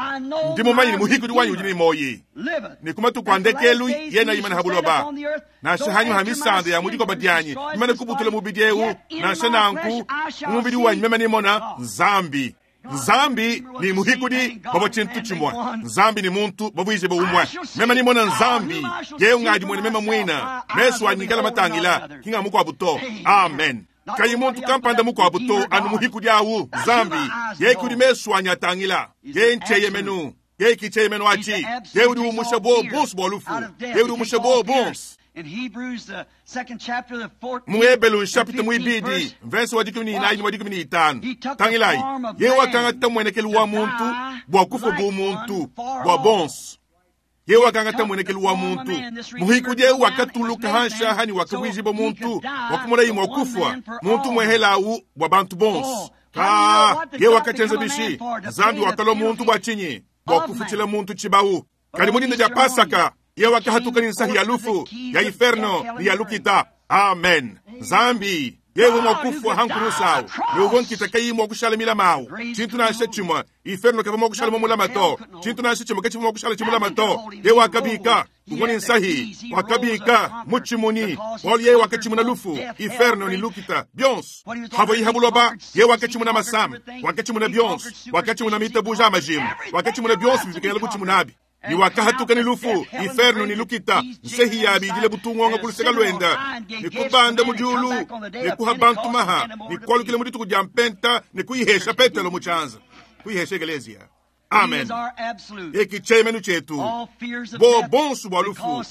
ndi mumanyi ni muhikudi wanyi udi ni moyi ni kumatu kuandekelu yena imana habuloba nansha hanyu ha misanda ya mudikoba dianyi imana kubutula mubidi ewu nansha nanku mubidi wanyi meme nimona nzambi nzambi ni muhikudi babo tshintu tshimue nzambi ni muntu bavuije boumwe meme nimona nzambi yeyo ngadi mwene meme mwina mesu anyikala matangila kinga mukuabu to amen kayi muntu kampanda mukuabu to anu muhikudi awu nzambi ye kudi mesu anyatangila ye ntshieyemenu ye kitshieyemenu atshi ye udi umusha bo bonso bua lufu ye udi umusha bo bonso mu Ebelu nshapita muibidi mvese wa dikumi ne inayi ne wa dikumi ne itanu tangilayi ye wakangata muenekelu wa muntu bua kufa bu muntu bua bonso ye wakangata muenekelu wa muntu muhikudi ewu wakatuluka hansha hani wakavuijiba muntu wakumona imwe wakufwa muntu mwehelawu bua bantu bonso ka ye wakatshenza bishi nzambi wakalwa muntu bua tshinyi bua kufutshila muntu tshibawu kadi mudinda dia Pasaka ye wakahatuka ni nsahi ya lufu ya inferno ni ya lukita amen nzambi yewe mwakufwa hankurusawu yewe nkita kayi mwakushala milamawu tshintu nansha tshimue inferno kava mwakushala momulama to tshintu nansha tshimue katshivua mwakushala tshimulama to yewe wakabika uvua ni nsahi wakabika mutshimuni bualu yewe wakatshimuna lufu inferno ni lukita bionso havua ihabuloba yewe wakatshimuna masama wakatshimuna bionso wakatshimuna mitabuja amajimu wakatshimuna bionso bivikengela kutshimunabi ni wakahatuka ni lufu inferno ni lukita nsehi yabi idile butungonga kuluseka lwenda ni kubanda mudiulu ni kuha bantu maha ni kualukile mudituku dia mpenta ni kuihesha Petelo mutshanza kuihesha ekelezia. Amen. Eki tshieyemenu tshietu bo bonso bua lufu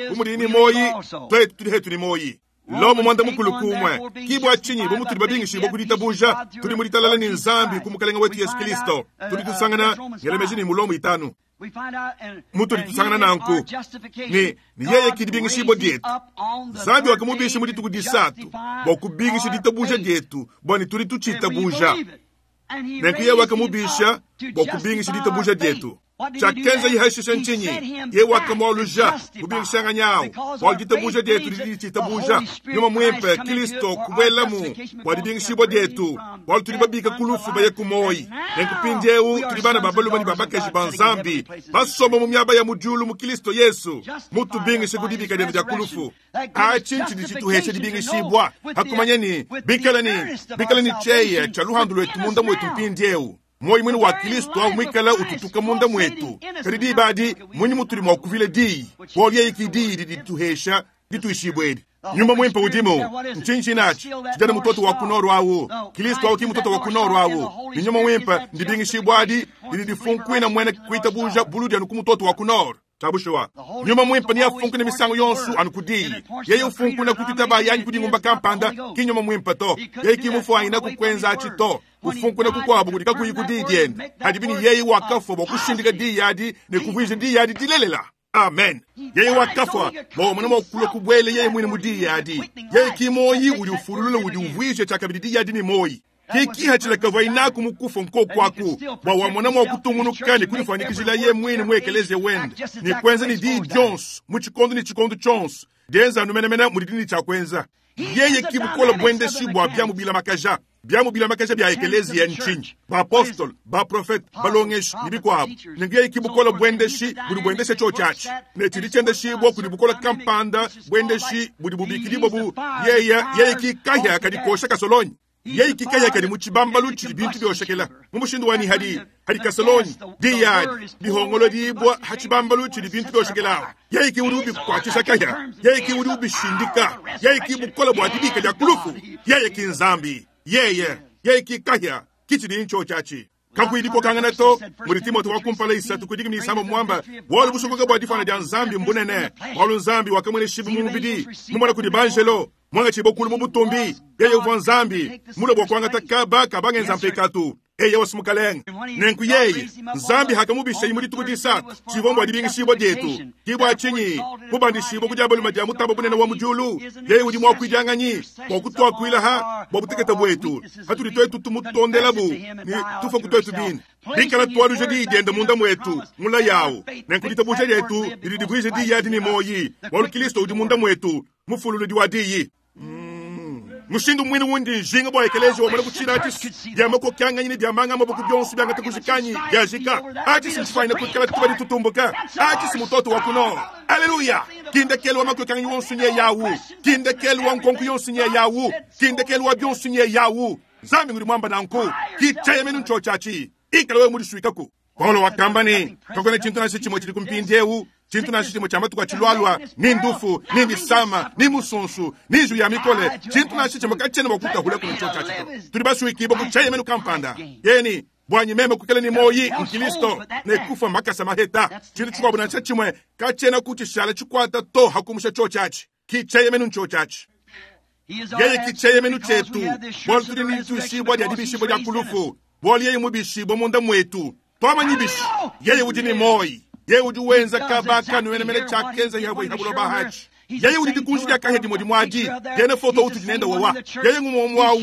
bu mudi ni moyi twetu tudi hetu ni moyi. Lomo mwanda mukulu kumwe kibwa chinyi bo mutuli babingishibwa kuditabuja tuli mulitalala ni nzambi ku mukalenga wetu Yesu Kristo tuli tusangana ngelemeji ni mulomo itanu mutuli tusangana nanku ni ni yeye kidibingishibwa dietu nzambi wakamubisha mu dituku disatu bua kubingisha ditabuja dietu bwani tuli tuchitabuja nenku yeye wakamubisha bua kubingisha ditabuja dietu chakenza yihashisha nchinyi ye wakamwaluja kubingishanga bua ditabuja dietu lidi chitabuja nyuma mwimpe Kristo kubwelamu bua dibingishibwa dietu bua tuli babika kulufu baye kumoyi nenku pindiewu tuli bana ba balume ni babakaji ba nzambi basoma mu miaba ya mudiulu mu Kristo Yesu mutubingishe kudibika dienu dia kulufu achi nchidi chituheshe dibingishibwa hakumanya ni bikala ni bikala ni cheye cha luhandu lwetu munda mwetu mpindiewu moyi mwini wa Kristo au mwikala ututuka munda mwetu kadi dibadi mwinyi mutuli mwa kuvile diyi bwali yeyiki diyi didituhesha dituishibwedi nyumba mwimpe udimu nchinchi nachi chijana mutoto wa kunoro awu Kristo au ki mutoto wa kunoro awu ni nyumba mwimpe ndibingishibwadi didifunkwina mwene kuitabuja buludi anu ku mutoto wa kunoro tabushuwa nyuma mwimpe ni afunku ni misango yonsu anu kudiyi yeye ufunku na kutitaba yanyi kudingumba kampanda ki nyuma mwimpe to yeye kimufu aina kukwenza achi to ufunku na kukwabu kudika kuyi kudiyi diende hadibini yeye wakafwa bwa kushindika diyi yadi ne kuvwija diyi yadi dilelela. Amen. Yeye wakafwa bo mwana mwakulo kubwele yeye mwine mudiyi yadi yeye kimoyi uli ufulula uli uvwije chakabidi diyi yadi ni moyi kikiha chilakava inaku mukufa nkokwaku bwa wamona mwakutungunuka ni kulifanikishila ye mwine mwekeleze wende ni kwenza ni diyi dyonso mu chikondo ni chikondo chonso dienza anumenamena mudi cha kwenza yeye kibukola bwendeshi bwa byamu bila makaja byamu bila makaja bya ekelezi ya nchinyi baapostolo baprofete balongeshi ni bikwabo ningu yeye kibukola bwendeshi buli bwendeshe cho chachi ne chili chendeshibwa kuli bukola kampanda bwendeshi buli bubikilibwa bu yeye yeye kikahya kadikosha kasolonyi yeye kikaya kadi muchibambalu chili bintu byoshekela mumushindu wani hadi hadi kasolonyi diyadi bihongolo dibwa hachibambalu chili bintu byoshekela yeye kiurubi kwachisha kaya yeye kiurubi shindika yeye kibukola bwa dibika lya kulufu yeye kinzambi yeye yeye kikaya kichili ncho chachi kakuiliko kangana to muri Timote wakumpala isatu kudiki ni isamba mwamba wali busokoka bwa difana dia nzambi mbunene wali nzambi wakamwene shibu mumubidi mumwana kudi banjelo mwanga chibokulu mubutumbi yeye uvwa nzambi mula bwa kwanga takaba kabangenza mpekatu eye wasimukalenga nenku yeye nzambi hakamubisha imuli tuku disatu chivombo adibingishibwa dietu kibwa chinyi mubandishibwa kujabaluma dia mutamba bunene wa mujulu yeye udi mwakuijanganyi bwa kutwakuilaha bwa buteketa bwetu hatuli twetu tumutondelabu ni tufa kutwetu bini bikala twaluja diyi diende munda mwetu mula yawu nenku ditabuja dietu dili divuije diyi adi ni moyi walu Kristo udi munda mwetu mufululu diwa diyi mushindu mwini wundi njinga bwa ekelezi wa mwana kuchira ati dyamako kyanganyini dyamanga maboko byonso byangata kujikanyi dyajika ati sinchifaina kukala tuba tutumbuka ati simutoto wa kuno. Haleluya. Kindekelu wa mako kyanganyi wonso nye yawu kindekelu wa nkonku yonso nye yawu kindekelu wa byonso nye yawu nzambi nguri mwamba nanku kichayemenu ncho chachi ikala we muri suikaku Paulo wakamba ni tokone chintu na chimwe chili kumpindiewu chintu na chimwe cha matuka chilwalwa ni ndufu ni ndisama ni musunsu ni ju ya mikole chintu na chimwe kachene wakuta hule kuno cho chachi tuli basuikibo kuchayemenu kampanda yeni bwanyi meme kukele ni moyi mkilisto ne kufa makasa maheta chintu chikwabu na chimwe kachena kuchishala chikwata to hakumusha cho chachi kichayemenu ncho chachi yeye kichayemenu chetu bwali tuli ni tushibwa dia dibishibwa dia kulufu bwali yeye mubishibwa munda mwetu twamanyibishi yeye udi ni moyi yeye udi wenza kabaka nuwenemele chakenza yahwe ihabulo bahachi yeye udi dikunji dia kahe dimodi mwadi yene foto utu dinenda wawa yeye ngumomwawu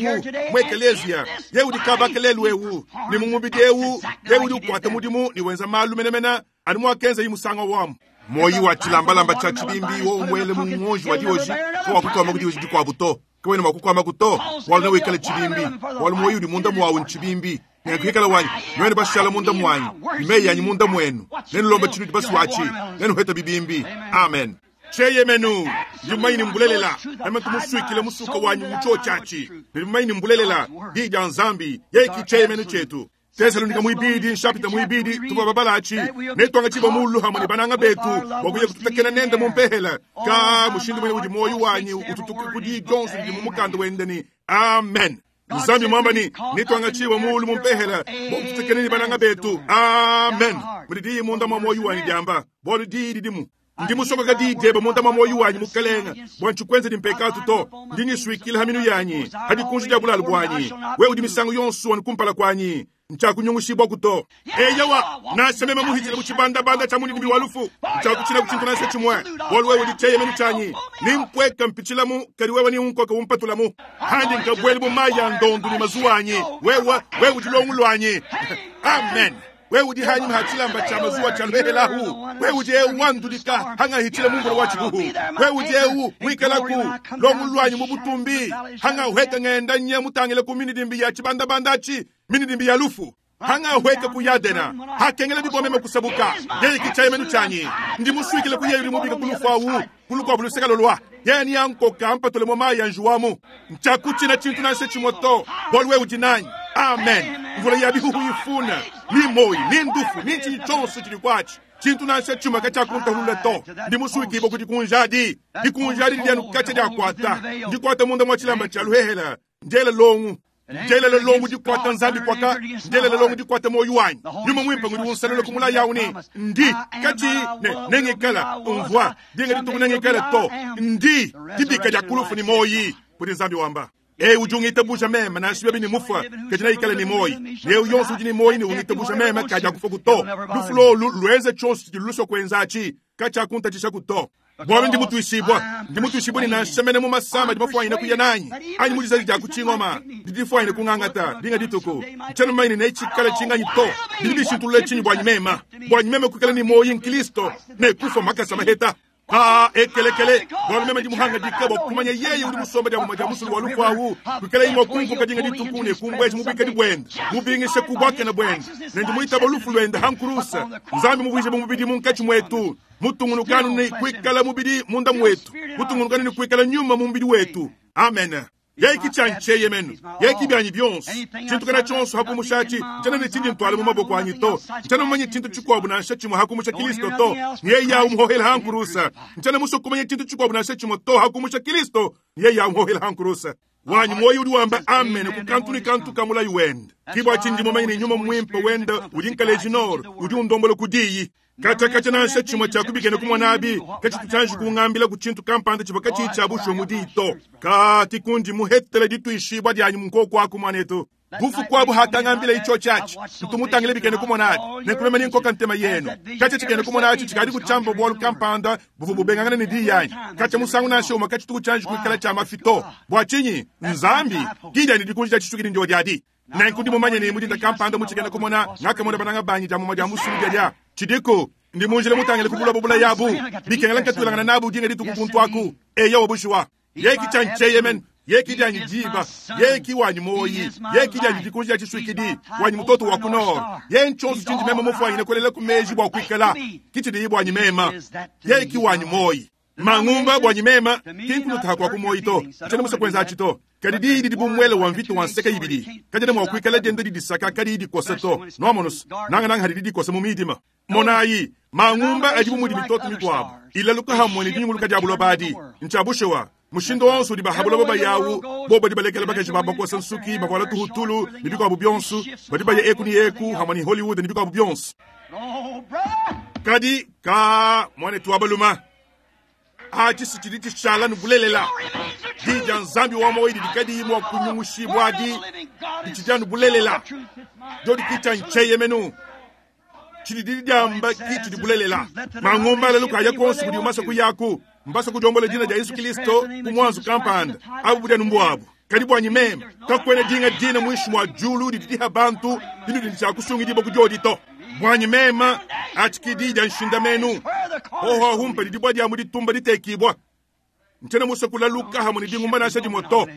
mwekelezia yeye udi kabaka lelu ewu ni mumubidi ewu yeye udi ukwata mudimu ni wenza malu menemena ani mwakenza yimusanga wamu moyi wa chilambalamba cha chibimbi wo umwele mungonji wa dioji ko wakukwama kudioji dikwabu to kawene mwakukwama kuto walu nawikala chibimbi walu moyi udi munda mwawu nchibimbi nekuhikala wanyi nwene bashala munda mwanyi imeyi yanyi munda mwenu nenu lomba chinu dibasuwachi nenu heta bibimbi. Amen. Cheyemenu ndimaini mbulelela emetumusuikile musuka wanyu mucho chachi ndimaini mbulelela dija nzambi yeki cheyemenu chetu Tesalonika muibidi nshapita muibidi tuva babalachi netwanga chiba mulu hamwe ni bananga betu wakuya kututakena nende mumpehela ka mushindu mwene udi moyo wanyu ututuke kudi jonso ndi mumukanda wendeni. Amen. Nzambi mwamba ni nitwangachiwa muulu mumpehela bokututekeneni bananga betu. Amen. Mudi diyi munda mwa moyo wanyi diamba bolu diyi didimu ndimusokoka diyi munda mwa moyo wanyi mukalenga bwa ntshikwenze dimpekatu to ndinyiswikile ha minu yanyi hadi kunji dia bulalu bwanyi we udi misango yonso wani kumpala kwanyi nchakunyungushibwa kuto eyawa nasemema muhitile muchibandabanda cha munidimbi wa lufu nchakuchina kuchintu nase chimwe bolu wewe ulicheye menu chanyi nimpweka mpichilamu kali wewe ni unkoka umpatulamu handi nkabweli bumaya ndondu ni mazuwanyi wewe wewe udilongulwanyi. Amen. Wewe udi hanyi mahachilamba cha mazuwa cha lwehelahu wewe udi eu wandulika hanga hitile mungolo wa chihuhu wewe udi eu wikalaku longulwanyi mubutumbi hanga uheka ngenda nye mutangile ku minidimbi ya chibandabandachi minidimbi ya lufu hanga hweka kuyadena hakengele bibomeme kusabuka yeye kichaye menu chanyi ndi muswikile kuyeyo limubika kulufu kulukwa buluseka lolwa yeni yankoka mpatole mo maya njuwamu nchakuchina chintu nanse chimoto bolwe udi nanyi. Amen. Mvula ya bihuhu ifuna ni moyi ni ndufu ni nchinyi chonse chili kwachi chintu nanse chuma kachakuntahulula to ndi muswikibo kuti kunjadi dikunjadi lyanu kacha lyakwata ndikwata munda mwa chilamba cha luhehela njela longu njela longu dikwata nzambi kwaka njela longu dikwata moyo wanyi nyuma mwimpa ngudi unsalelo kumula yauni ndi kati ne nengekala umvwa dinga dituku nengekala to ndi dibika lya kulufu ni moyi kuti nzambi wamba e ujungita busha mema na shibe ni mufa kajina ikale ni moyi leo yonso ujini moyi ni ungita busha mema kaja kufa kuto lufulo luenze chonso luso kwenzachi kacha kunta chisha kuto bwalo ndi mutuishibwa ndi mutuishibwa ni nansemene mu masama ndimafwanyina kuya nanyi anyi mulizazi lya kuchingoma ndidifwanyine kung'ang'ata linga dituku nchano maine nechikala chinganyi to ndilibishintulule chinyi bwanyi mema bwanyi mema kwikala ni moyi nkilisto nekufa makasa maheta ha ekelekele bwalo mema ndimuhanga dikabo kumanya yeye uli musomba lya mumaja musulu wa lukwawu kwikala imwe kunkuka dinga dituku ne kumbweji mubika dibwenda mubingishe kubwake na bwenda nendimuitaba lufu lwenda hankurusa nzambi mubwije bumubidi munkachi mwetu mutungunukanu ni kwikala mubidi munda mwetu mutungunukanu ni kwikala nyuma mubidi wetu. Amen. Yeki chancheye menu yeki byanyi byonse chintu kana chonso hakumushachi chana ne chindi ntwale mu maboko anyi to chana manye chintu chikwabu na nsha chimwe hakumusha Kristo to niye ya umuhohela hankurusa chana muso kumanye chintu chikwabu na nsha chimwe to hakumusha Kristo niye ya umuhohela hankurusa wanyu moyo uli wamba amen kukantu ni kantu kamula yuwenda kibwa chindi momanye nyuma mwimpe wenda ulinkale jinor uli undombolo kudiyi kacha kacha na nsha chimwe chakubikene kumwanabi kachitu kungambila kuchintu kampanda chipa kachicha busho mudito kati kundi muhetele dituishibwa dyanyi munkoko aku mwanetu bufu kwabu hakangambila icho chachi ntumutangile bikene kumonati nekulema ninkoka ntema yenu kacha chikene kumonati chikali kuchamba bwalu kampanda bufu bubengangana ni diyanyi kacha musangu nashoma kachituku chanji kuikala cha mafito bwachinyi nzambi kidya ni dikunji chachitukili ndio dyadi nenkundi mumanye ni mudinda kampanda muchikene kumona ngakamona bananga banyi jamuma jamusulu dya chidiko ndi munjile mutangile kubula bubula yabu bikengela nkatulangana nabu dinga dituku aku eya wabushwa yeki chancheye men yeki dyanyi diba yeki wanyi moyi yeki dyanyi dikunji ya chiswikidi wanyi mutoto wa kunor ye nchonso chindi mema mufwanyine kolela kumeji bwa kwikala kichidi bwanyi mema yeki wanyi moyi mang'umba bwanyi mema kinkulutha kwa kumoyi to chene musa kwenza achito kadi didi dibumwele wa mvitu wa nseka ibidi kadi mwa kwikala dende didisaka kadi dikosa to noamonos nanga nanga hadi didikosa mu midima monayi mang'umba ajibumudi mitoto mikwabo ilaluka hamwe ni dinyunguluka diabulo badi nchabushewa mushindo wonso dibahabula baba yawu boba dibalekela bakaji babakosa nsuki bakwala tuhutulu ni bikwabu byonso badi baya eku ni eku hamwe ni Hollywood ni bikwabu byonso kadi ka mwane tuabaluma achi sichidi chishala nubulelela dija nzambi wa moyi dikadi mwa kunyungushibwa di dichija nubulelela jodi kicha ncheye menu chidi diyamba kichi dibulelela mang'umba lelo kaya konso kudi umasa kuyaku mbasa kujombola jina ja Yesu Kristo kumwanzo kampanda abu budya numbwabu kadi bwanyi mema kakwene dinga dina mwishi mwa julu didiha bantu dinu dincha kusungi dibo kujodi to bwanyi mema achikidija nshinda menu hoho humpa didibwa dya muditumba ditekibwa ntena musa kulaluka hamwe ni dingumba nasha dimoto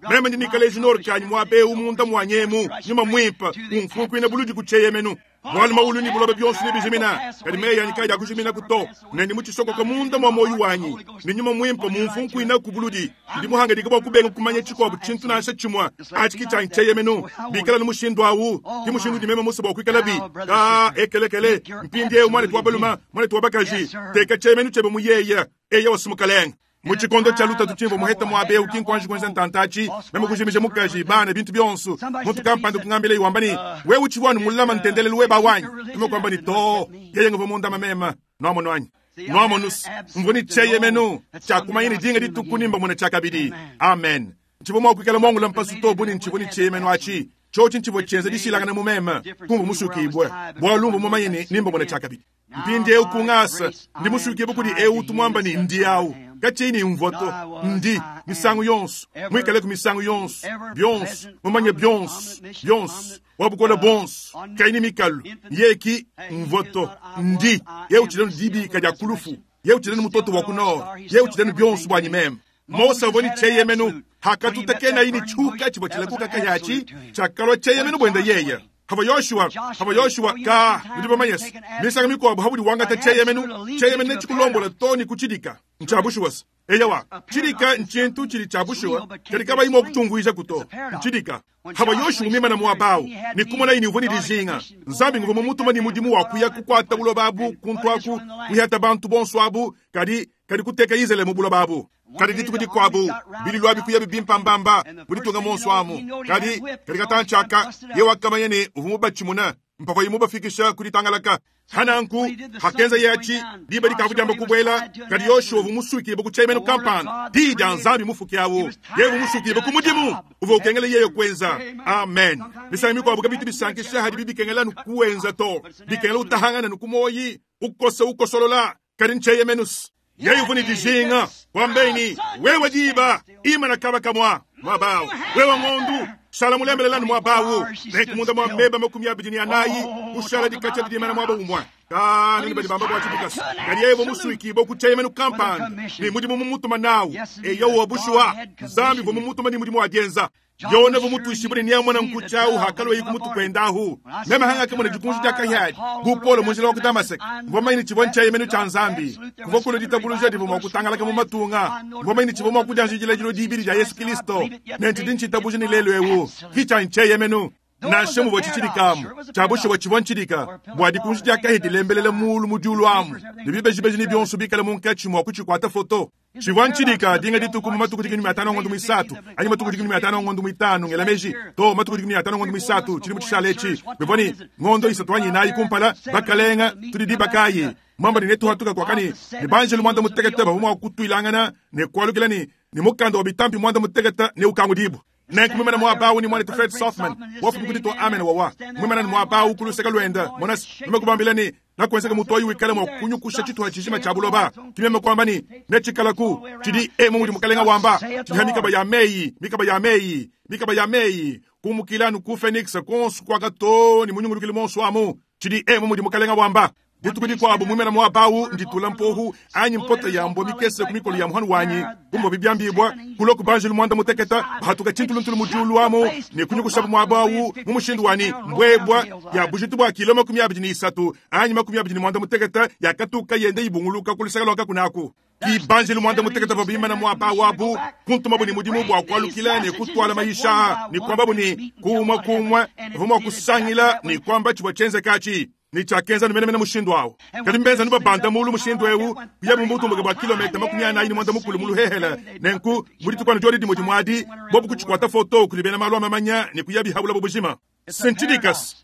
mema ndinikale jinor kanyi mwabe umunda mwanyemu nyuma mwimpa umfunkwina buludi kucheye menu bwali maulu ni bulobe byonso ni bijimina kadi meya nikaja kujimina kuto nendi muchisoko munda mwa moyo wanyi ni nyuma mwimpa mumfunkwina kubuludi ndi muhanga dikabo kubenga kumanya chikobu chintu nasha chimwa achikicha ncheye menu bikala ni mushindu awu ndi mushindu di mema musa bwa bi ka ekelekele mpindie umwana tuwabaluma mwana tuwabakaji teka cheye menu chebe muyeye eya wasimukalenga Mu tshikondo tshia lutatu tshimvua muheta muaba eu ki nkuanji kuenza ntantatshi, meme kujimija mukaji, bana, bintu bionso. Muntu kampanda kungambila iwamba ni, wewe utshivua anu mulama ntendelelu weba wanyi. Meme kuamba ni to, yeye nguvua mundama mema. Nuamono anyi? Nuamonus, mvua ni tsheyemenu, tshiakumanya ni dinga dituku nimba mona tshiakabidi. Amen. Ntshivua mua kuikala muangula mpasu to buni ntshivua ni tsheyemenu atshi. Tshiotshi ntshivua tshienza dishilangana mu meme, kumva musukibwe. Bualu mvua mumanye ni nimba mona tshiakabidi. Mpindi eu kungasa, ndi musukibwe kudi eu tumwamba ni ndi awu. Kachini mvoto, ndi, misangu yonso, mwikale ku misangu yonso, bionso, mumanye bionso, bionso, wabukola bonso, kaini mikalu, yeki mvoto, ndi, ye uchilenu dibika dia kulufu, ye uchilenu mutoto wa kunora, ye uchilenu bionso bwanyi meme. Mose avoni cheyemenu, hakatutakena ini chuka chibo chilakuka kayachi, chakalwa cheyemenu bwenda yeye. Hava Yoshua, hava Yoshua ka ndiba mayes. Misanga mikuabo habudi wangata cheyemenu, cheyemenu nechikulombola toni kuchidika. Nchabushuwas. Eyawa, chidika nchintu chili chabushuwa, katika baimo kuchunguisha kuto. Nchidika. Hava Yoshua mima na muabao, ni kumona ini uvoni dijinga. Nzambi nguvu mumutuma ni mudimu wa kuya kukwata bulobabu, kuntwaku, kuyata bantu bonso abu, kadi kadi kuteka Izele mu bulobabu. Kadi dituku dikuabu, bililwa bikuya bibimpambamba, bulitunga monso amu. Kadi, kadi katanchaka, ye wakamanya ni uvumu bachimuna, mpava yimu bafikisha kulitangalaka. Hananku, hakenza yachi, diba dikavu jamba kubwela, kadi Yoshua vumusuki bukuchemenu kampana, di dia nzambi mufuki awo, ye vumusuki bukumudimu, uvo ukengele yeyo kwenza. Amen. Misangi mikuabu kabitu bisankisha hadi bibi kengela nukuenza to, bikengela utahangana nukumoyi, ukosa ukosolola, kadi ncheyemenus. Yeyu vuni dijinga, wambeni, wewe diba, ima na kaba kamwa, mwabao, wewe ngondu, shala mulembelelani mwabawo, nekumunda mwambeba makumi abidi ni anayi, ushala dikacha didimana mwaba umwa. Kani ni bamba kwa chipikasi. Kadi yevo musuiki boku cheyemenu kampani, ni mudimu mumutuma nawu, eyo wabushwa, zambi vo mumutuma ni mudimu wajenza. Yona vumutu ishibuni ni amwana nkuchau hakalo yiku mutu kwendahu. Mema hanga kama na jukunju jaka yadi. Bupolo munjila waku Damasek. Ngoma ini chibwa ncheyemenu cha nzambi. Kuvokolo ditabuluja divu mwa kama matunga. Ngoma ini chibwa mwa kujanjijila jilo dibiri ja Yesu Kristo. Nenti dinchi tabuji ni lelo ewu. Kicha ncheyemenu. Nashe mubo chichirikamu. Chabushe wa chibwa nchirika. Bwa dikunju jaka hidi lembelele mulu mujulu amu. Nibibejibeji ni bionsu bikale munkachi mwa kuchikwata foto. Chibwa nchirika dinga dituku mu matuku dikumi atano ngondo misatu. Anyi matuku dikumi atano ngondo mitano ngelameji. To matuku dikumi atano ngondo misatu chili muchishalechi. Bivoni ngondo isatu anyi nayi kumpala bakalenga tulidibakayi. Mwamba ni netu hatuka kwa kani ni banjelu mwanda mutekete bavumu kutuilangana ne kwalukila ni ni mukando wa bitampi mwanda mutekete ne ukangudibu. Nenku mwimana mwabawu ni mwana Fred Sothman. Wafu mkudito amen wawa. Mwimana ni mwabawu kuluseka luenda. Monas nimekubambila ni na kuwezeka mutoyi wikale mwa kunyukusha chitu hachishima cha buloba. Kimeme kwamba ni nechikalaku chidi e mungu mukalenga wamba. Chidi mikaba ya mei, mikaba ya mei, mikaba ya mei. Kumukilanu ku Phoenix konsu kwa kato ni munyungulukile monso amu. Chidi e mungu mukalenga wamba. Dituku dikuabu mwimana mwabawu nditula mpohu anyi mpota ya mbo mikese kumikolo ya muhanu wanyi kumbo bibyambibwa kuloku banjelu mwanda muteketa bahatuka chintuluntulu mujulu amu ni kunyukushabu mwabawu mumushindu wani mbwebwa ya bujitu bwa kilo makumi abidi ni isatu anyi makumi abidi ni mwanda muteketa yakatuka yende ibunguluka kulusaka lwaka kunaku ki banjelu mwanda muteketa babimana mwabawu abu kuntuma ni mudimu bwa kwalukila ni kutwala maisha ni kwamba ni kumwa kumwa vumwa kusangila ni kwamba chibwa chenze kachi ni chakenza numene mene mushindu awo. Kadi mbenza nuba banda mulu mushindu ewu, kuya mumutu mga bwa kilomita makumi anayi ni mwanda mukulu mulu hehela. Nenku, muri tukwana jori di mojimwadi, bobu kuchikwata foto kulibena malwa mamanya ni kuya bihabula bobujima. Senchidikas,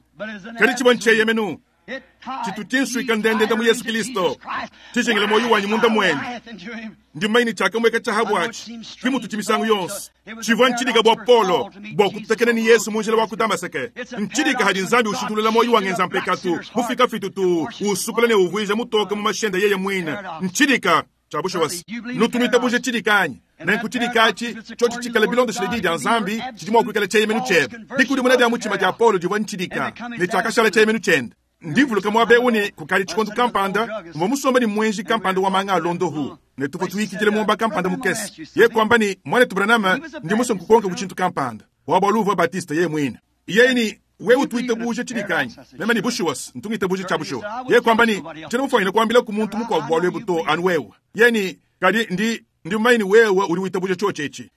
kadi chibwa ncheyemenu, chitutinsu ikandende ndamu Yesu Kristo. Tijengele moyo wanyu munda mwene. Ndi maini chaka mweka chahabu achi. Kimutu chimisangu yonse. Chivwa nchidika bwa polo. Bwa kutakene ni Yesu munjila wa kudamaseke. Nchidika hadi nzambi ushitulela moyo wangenza mpekatu. Mufika fitutu. Usukule ne uvuiza mutoka mu mashenda yeye mwina. Nchidika. Chabusha wasi. Nutumita buje chidika anyi. Nenku chidika achi. Chochi chikale bilondo shiledi dia nzambi. Chidimwa kuikale cheyemenu chebe. Dikudi munadi ya muchima ja polo jivwa nchidika. Ne chakashala cheyemenu chende. Ndivuluka mwabe uni kukali chikondu kampanda, mwa ni mwenji kampanda wa manga alondo hu. Ne tupo tuikijile mwomba kampanda mukesi. Ye kwamba ni mwane tubranama ndi muso mkukonka kuchintu kampanda. Wabaluva Batista ye mwina. Ye ni wewe tuite buje chinikanyi. Mema ni bushuwas, ntungite buje cha bushuwa. Ye kwamba ni chene mfanyile kwambila ku muntu mukwa bwalwe buto anu wewe. Ye ni kadi ndi ndi maini wewe uri wite buje chochechi.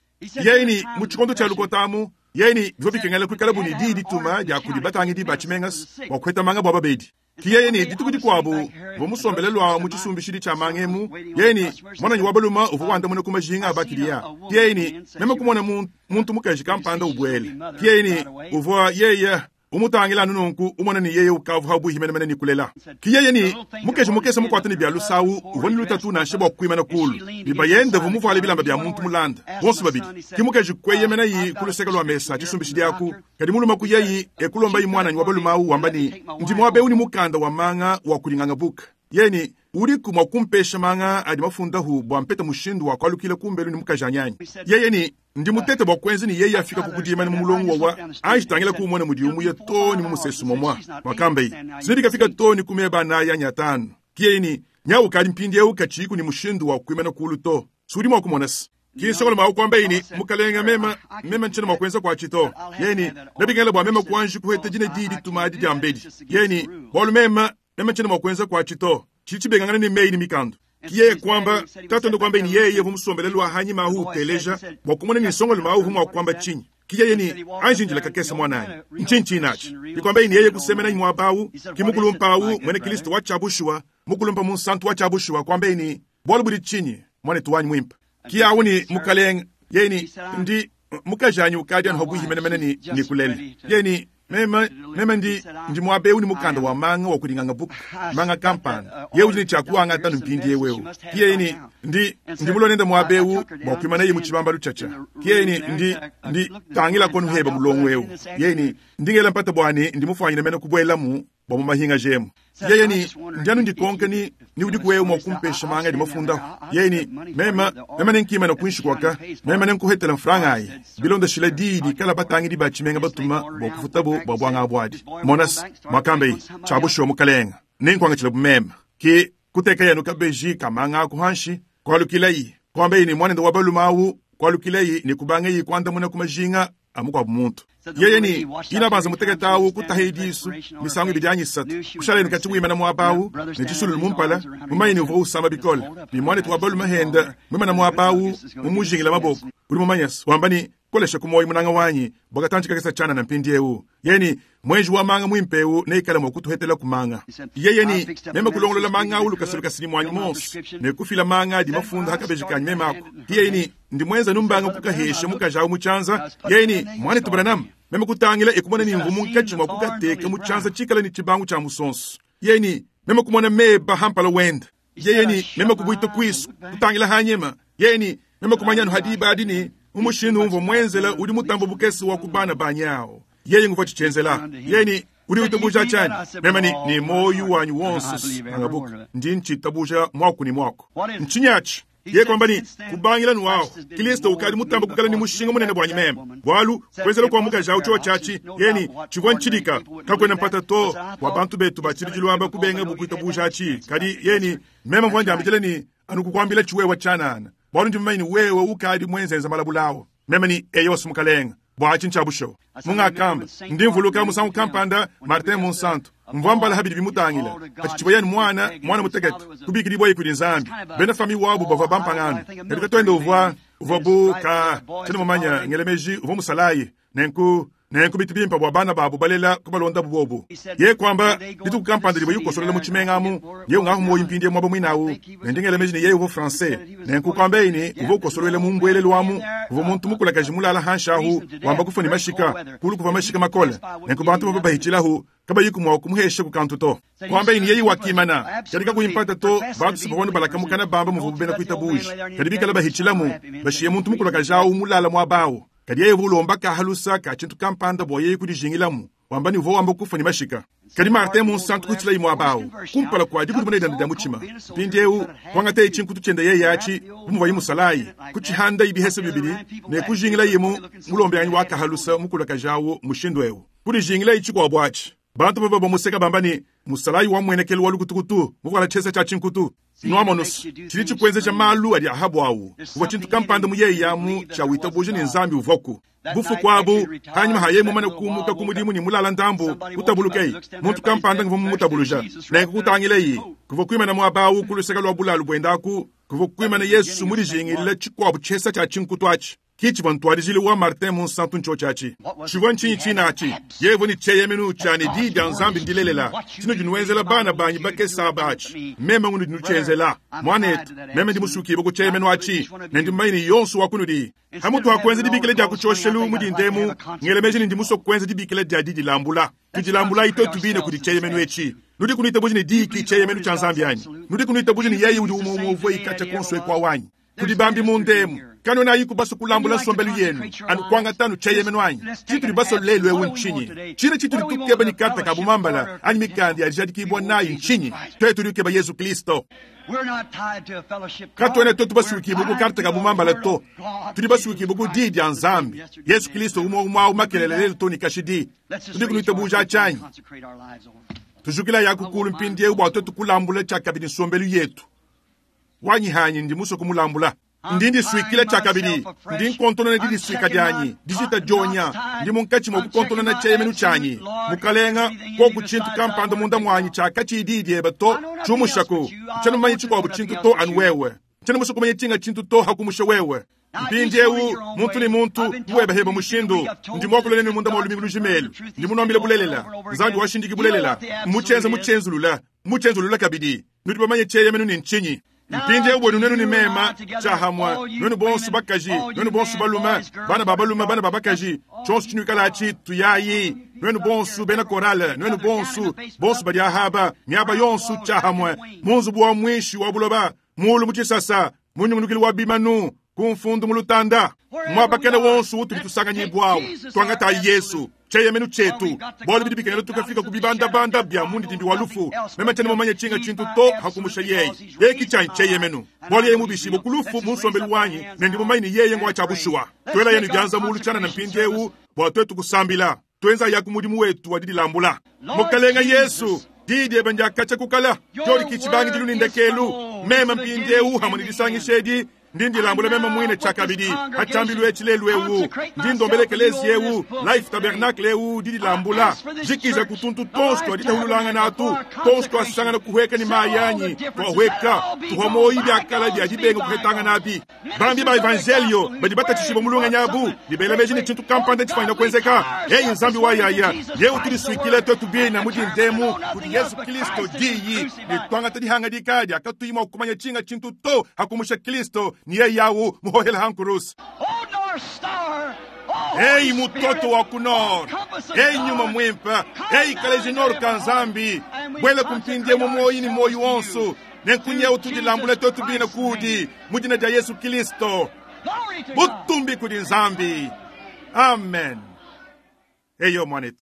Ye ni mu chikondo cha lukotamu. Yeni, vyo bikengela kwikala buni di dituma ya kudibatangi di bachimengas, wa kweta manga bwa babedi. Ki yeye ne dituku dikuabu uvua musombele lua mu tshisumbishidi tshia mangemu. Yeye ne mwananyi wa baluma uvua wandamuna ku majinga a bakiliya. Ki yeye ne meme kumona muntu mukaji kampanda ubwele. Ki yeye ne uvua yeye umutangila anu nunku umona ni yeye ukavu habuhi menemene ni kulela. Ki yeye ni mukeji mukese mukwata ni bya lusawu uvua ni lutatu nansha bua kuimana kulu. Bibayende uvua muvuale bilamba bya muntu mulanda bonso babidi. Ki mukeji kweyemena yi kuluseka lwa mesa tshisumbishidi aku. Kadi muluma ku yeyi ekulomba yi mwananyi wa balumawu wamba ni ndi mwabe uni mukanda wa manga wa kulinganga buka. Yeye ni uriku mwa kumpesha manga adi mafundahu bua mpeta mushindu wa kwalukila kumbelu ni mukaji anyanyi. Yeye ni ndi mutete bua kwenza ni yeye afika kukudima ni mulongo wa anjitangila kumona mudi umuye to ni mumusesu momwa wakambe sinidikafika to ni kumeba na ya nyatano. Ki yeye ni nyawu kali mpindi eu kachiku ni mushindu wa kuimana kulu to sudi mwa kumonasi. Ki sokolo mwa kwamba ini mukalenga mema mema nchena mwa kwenza kwa chito. Yeye ni nabingela bwa mema kuanji kuhete jine didi tumadi dia mbedi. Yeye ni bolu mema mema nchena mwa kwenza kwa chito. Chichi bengangana ni mei ni mikando. Ki yeye kwamba tato ndo kwamba ni yeye vumusombelelwa hanyima hu teleja bwa kumona ni songo luma hu mwa kwamba chinyi. Ki yeye ni anjinjila kakesa mwanani nchinchi nachi. Ni kwamba ni yeye kusemena ni mwabawu kimukulumpawu mwene Kristo wa chabushwa mukulumpa munsantu wa chabushwa kwamba ni bwalu buli chinyi mwane tuwanyi mwimpa. Ki yawu ni mukalenga yeye ni ndi mukajanyi ukadi anho buhi menemene ni ni kulele. Yeye ni mema mema ndi ndi mwabe uni mukanda wa manga wa kulinganga buku manga kampani. Ye uli chakuanga tanu mpindi yewewo. Ki yeye ni ndi ndi mulonenda mwabe u wa kuimana ye muchibamba luchacha. Ki yeye ni ndi ndi tangila konu heba mulongo wewo. Yeye ni ndingela mpata bwani ndi mufanyira mena kubwelamu bwa mumahinga jemu. Yeye ni ndianu ndikonke ni ni udi kuwewe mwa kumpesha manga di mafunda. Yeye ni mema mema nenkima na kuinshi kwaka mema nenkuhetela mfranga ayi. Bilonda shila didi kala batangi di bachimenga batuma bwa kufutabo bwa bwanga abwadi. Monas makambe chabusho mukalenga. Nenkwanga chila bumema. Ki kuteka yanu kabeji kamanga kuhanshi kwalukilai. Kwambe ni mwana wa balumawu kwalukilai ni kubanga yi kwanda muna kumajinga amukwa bumuntu. Yeye ni ina banza muteketawu kutahidisu misango ibidyanyi satu kushala ni kati wimana mwabawu ne chisulu mumpala mumayini uvo usamba bikola ni mwana twabalu mahenda mwimana mwabawu mumujingila maboko uri mumanyas wamba ni kolesha kumoyi munanga wanyi bwakatanjika kesa chana na mpindi eu. Yeye ni mwenji wa manga mwimpeu neikala mwakutuhetela kumanga. Yeye ni mema kulongolola manga ulu kasulu kasini mwanyi monsi ne kufila manga di mafunda hakabejikanye mema ako. Yeye ni ndi mwenza numbanga kukahesha mukajawu muchanza. Yeye ni mwana tubranam mema kutangila ekumona ni mvumu nkachi mwa kukateka muchanza chikala ni chibangu cha musonso. Yeye ni mema kumona meba hampala wenda. Yeye ni mema kubuita kwisu kutangila hanyema. Yeye ni mema kumanyanu hadiba adini umushindu umvo mwenzela uri mutambo bukesi wa kubana banyao. Yeye nguva chichenzela. Yeye ni uri utabuja chani. Mema ni ni moyu wanyu wonse angabuka. Ndi nchitabuja mwaku ni mwaku. Nchinyachi. Ye kwamba ni kubangila nuwao. Kristo ukali mutambo kukala ni mushinga munene bwanyi mema. Bwalu kwezela kwa muka jao cho chachi. Ye ni chivwa nchidika. Kakwena mpata to wa bantu betu bachirijilwamba kubenga bukuita bujachi. Kadi ye ni mema mvwanja ambitele ni anukukwambila chiwewa chanana. Bwalu ndi mmaini wewe ukadi mwenzenza malabulawo. Mema ni eyo sumukalenga. Bwachi nchabusho. Munga kamba. Ndi mvuluka musangu kampanda Martin Monsanto. Mvwambala habidi bimutangila. Achichiboyani mwana, mwana mutekete. Kubikiri boyi kuli nzambi. Bena fami wabu bava bampangano. Katika twende uvwa, uvwa bu ka, chene mumanya ngelemeji uvwa musalayi. Nenku, nenku bitibimpa bwa bana babu balela kubalonda bubobu. Ye kwamba dituku kampanda libo yukosolela mu chimengamu, ye ungahu moyi mpindi mwabo mwinawu. Nendingelemeji ni ye uvo français. Nenku kwamba ini uvo kosolele mu mbwele lwamu, uvo muntu mukula kajimulala hanshahu, wamba kufa ni mashika, kulu kuva mashika makole. Nenku bantu baba bahichilahu, kaba yiku mwa kumuhesha kukantu to. Kwamba ini yeyi wakimana, katika kuimpata to, bantu sipawanu balakamukana bamba muvubu bena kuita buji. Kadibika laba hichilamu, bashiye muntu mukula kajao mulala mwabao. Kadi yeye vulomba kahalusa ka chintu kampanda bwa yeye kudijingilamu. Wamba ni uvo wamba kufa ni mashika. Kadi Martin Monsanto kutila imwa abao. Kumpala kwa adiku dimone danda muchima. Pindi eu, kwangate chinkutu chenda yeye yachi, bumuva yimusalayi. Kuchihanda ibihese bibili, ne kujingila yimu, mulombe yanyu wakahalusa mukula kajawo mushindu eu. Kudijingila ichikwa bwachi. Bantu baba bamuseka bambani, musalayi wa mwenekelu wa lukutukutu, mukwala chesa cha chinkutu. Nwamonus, chili chikwenze cha malu adi ahabu awu. Uwa chintu kampanda muyeyi yamu cha witabuji ni nzambi uvoku. Bufu kwabu, hanyuma haye mumana kumuka kumudimu ni mulala ndambu, utabulukei. Muntu kampanda nguvu mutabuluja. Nenku kutangileyi, kuvo kuimana mwabawu kuluseka lwa bulalu bwendaku, kuvo kuimana Yesu mulijingile chikwabu chesa cha chinkutu achi. Ki tshivua ntuadijilu wa Martin Munsantu ntshiotshi atshi. Tshivua ntshinyi tshine atshi? Yeye ne tshieyemenu tshia ne diyi dia Nzambi ndilelela. Tshinudi nuenzela bana banyi bakese aba atshi, meme ngunudi nutshienzela. Muanetu, meme ndi musukibue ku tshieyemenu atshi, ne ndi mumanye ne yonso wa kunudi. Pamutu ha kuenza dibikila dia ku tshioshelu mu dinda emu, ngela meji ne ndi musue kuenza dibikila dia didilambula. Tudilambulayi twetu bine kudi tshieyemenu etshi. Nudi kunuitabuja ne diyi ki tshieyemenu tshia Nzambi anyi? Nudi kunuitabuja ne yeye udi umue umue uvua ikatshia kuonso eku awu anyi? Kudi bambi munda emu, kanuenayiku basue kulambula nsombelu yenu anu kuangata anu tshieyemenu anyi? Tshitudi basue lelu eu ntshinyi? Tshine tshitudi tukeba ne karte ka bumambala anyi mikanda ya dijadikibua nayi ntshinyi? Tuetu tudi tukeba Yezu Kristo. Katuena tuetu basuikibue ku karte ka bumambala to. Tudi basuikibue ku Diyi dia Nzambi. Yezu Kristo umue umue au makelela lelu too ne kashidi. Tudiku nuitabuja atshi anyi? Tujukilayaku kulu mpindieu bua tuetu kulambula tshiakabidi nsombelu yetu. Wanyi hanyi ndi musue kumulambula. Ndi ndisuikila tshiakabidi. Ndi nkontonona didisuika dianyi, dijita dionya. Ndi munkatshi mua kukontonona tshieyemenu tshianyi. Mukalenga, koku tshintu kampanda munda muanyi tshiakatshiyi diyi diebe to, tshiumushaku. Ntshiena mumanye tshikuabu tshintu to anu wewe. Ntshiena musue kumanya tshinga tshintu to hakumusha wewe. Mpindieu, muntu ne muntu, mu webe hebe mushindu, ndi muakule nenu munda mua lumingu lujima elu. Ndi munuambile bulelela. Nzambi washindiki bulelela. Mmutshienza mutshienzulula, mutshienzulula kabidi. Nudi bamanye tshieyemenu ne ntshinyi? Mpindieu buenu nuenu ne mema tshiahamue, nuenu bonso bakaji, nuenu bonso balume, bana ba balume, bana ba bakaji, tshionso tshinuikala atshi, tuyayi. Nuenu bonso bena korale, nuenu bonso, bonso badi ahaba, miaba yonso tshiahamue, mu nzubu wa muinshi wa buloba, muulu mu tshisasa, mu nyungulukilu wa bimanu, ku mfundu mu lutanda, muaba kena wonso utudi tusanganyibwawu, tuangatayi Yesu tshieyemenu tshietu. Bualu bidi bikengela tukafika ku bibandabanda bia mundidimbi wa lufu. Meme tshiena mumanye tshinga tshintu to hakumusha yeye. Yeye ki tshianyi tshieyemenu, bualu yeye mubishibue ku lufu mu nsombelu wanyi, ne ndi mumanye ne yeye ngua tshia bushuwa. Tuela yenu bianza mulu tshianana mpindieu bua tuetu kusambila. Tuenza yaku mudimu wetu wa didilambula. Mukalenga Yesu, diyi diebe ndiakatshia kukala, diodi ki tshibangidilu ne ndekelu. Meme mpindieu hamwe ne disangisha edi, ndi ndilambula meme muine tshiakabidi ha tshiambilu etshi lelu eu. Ndi ndombela ekelezia eu, Life Tabernacle eu, didilambula. Jikija ku tuntu tonso tua ditahululangana atu, tonso tuasangana kuhweka ne mayi anyi, tuahweka, tuhwa moyi biakala bia dibenga kuhetangana abi. Bambi ba evangelio badi batatshishibua mu lungenyi abu, ne bela meji ne tshintu kampanda tshifanyina kuenzeka. Eyi Nzambi wa yaya, yewe tudisuikile twetu bina mu dindemu kudi Yesu Kristo diyi, ne tuangata dihangadika diakatuyi mua kumanya tshinga tshintu to hakumusha Kristo ni yeye yawu muhohela hankurusi. Ei mutoto wa ku nord, ei nyuma mwimpe, ei kaleji nord ka Nzambi, bwele kumpindie mu moyi ni moyi wonso, ne nkunyeu tudilambule twetu bina kudi mu dina dia Yesu Kristo. Butumbi kudi Nzambi. Amen. Eyo mwanetu.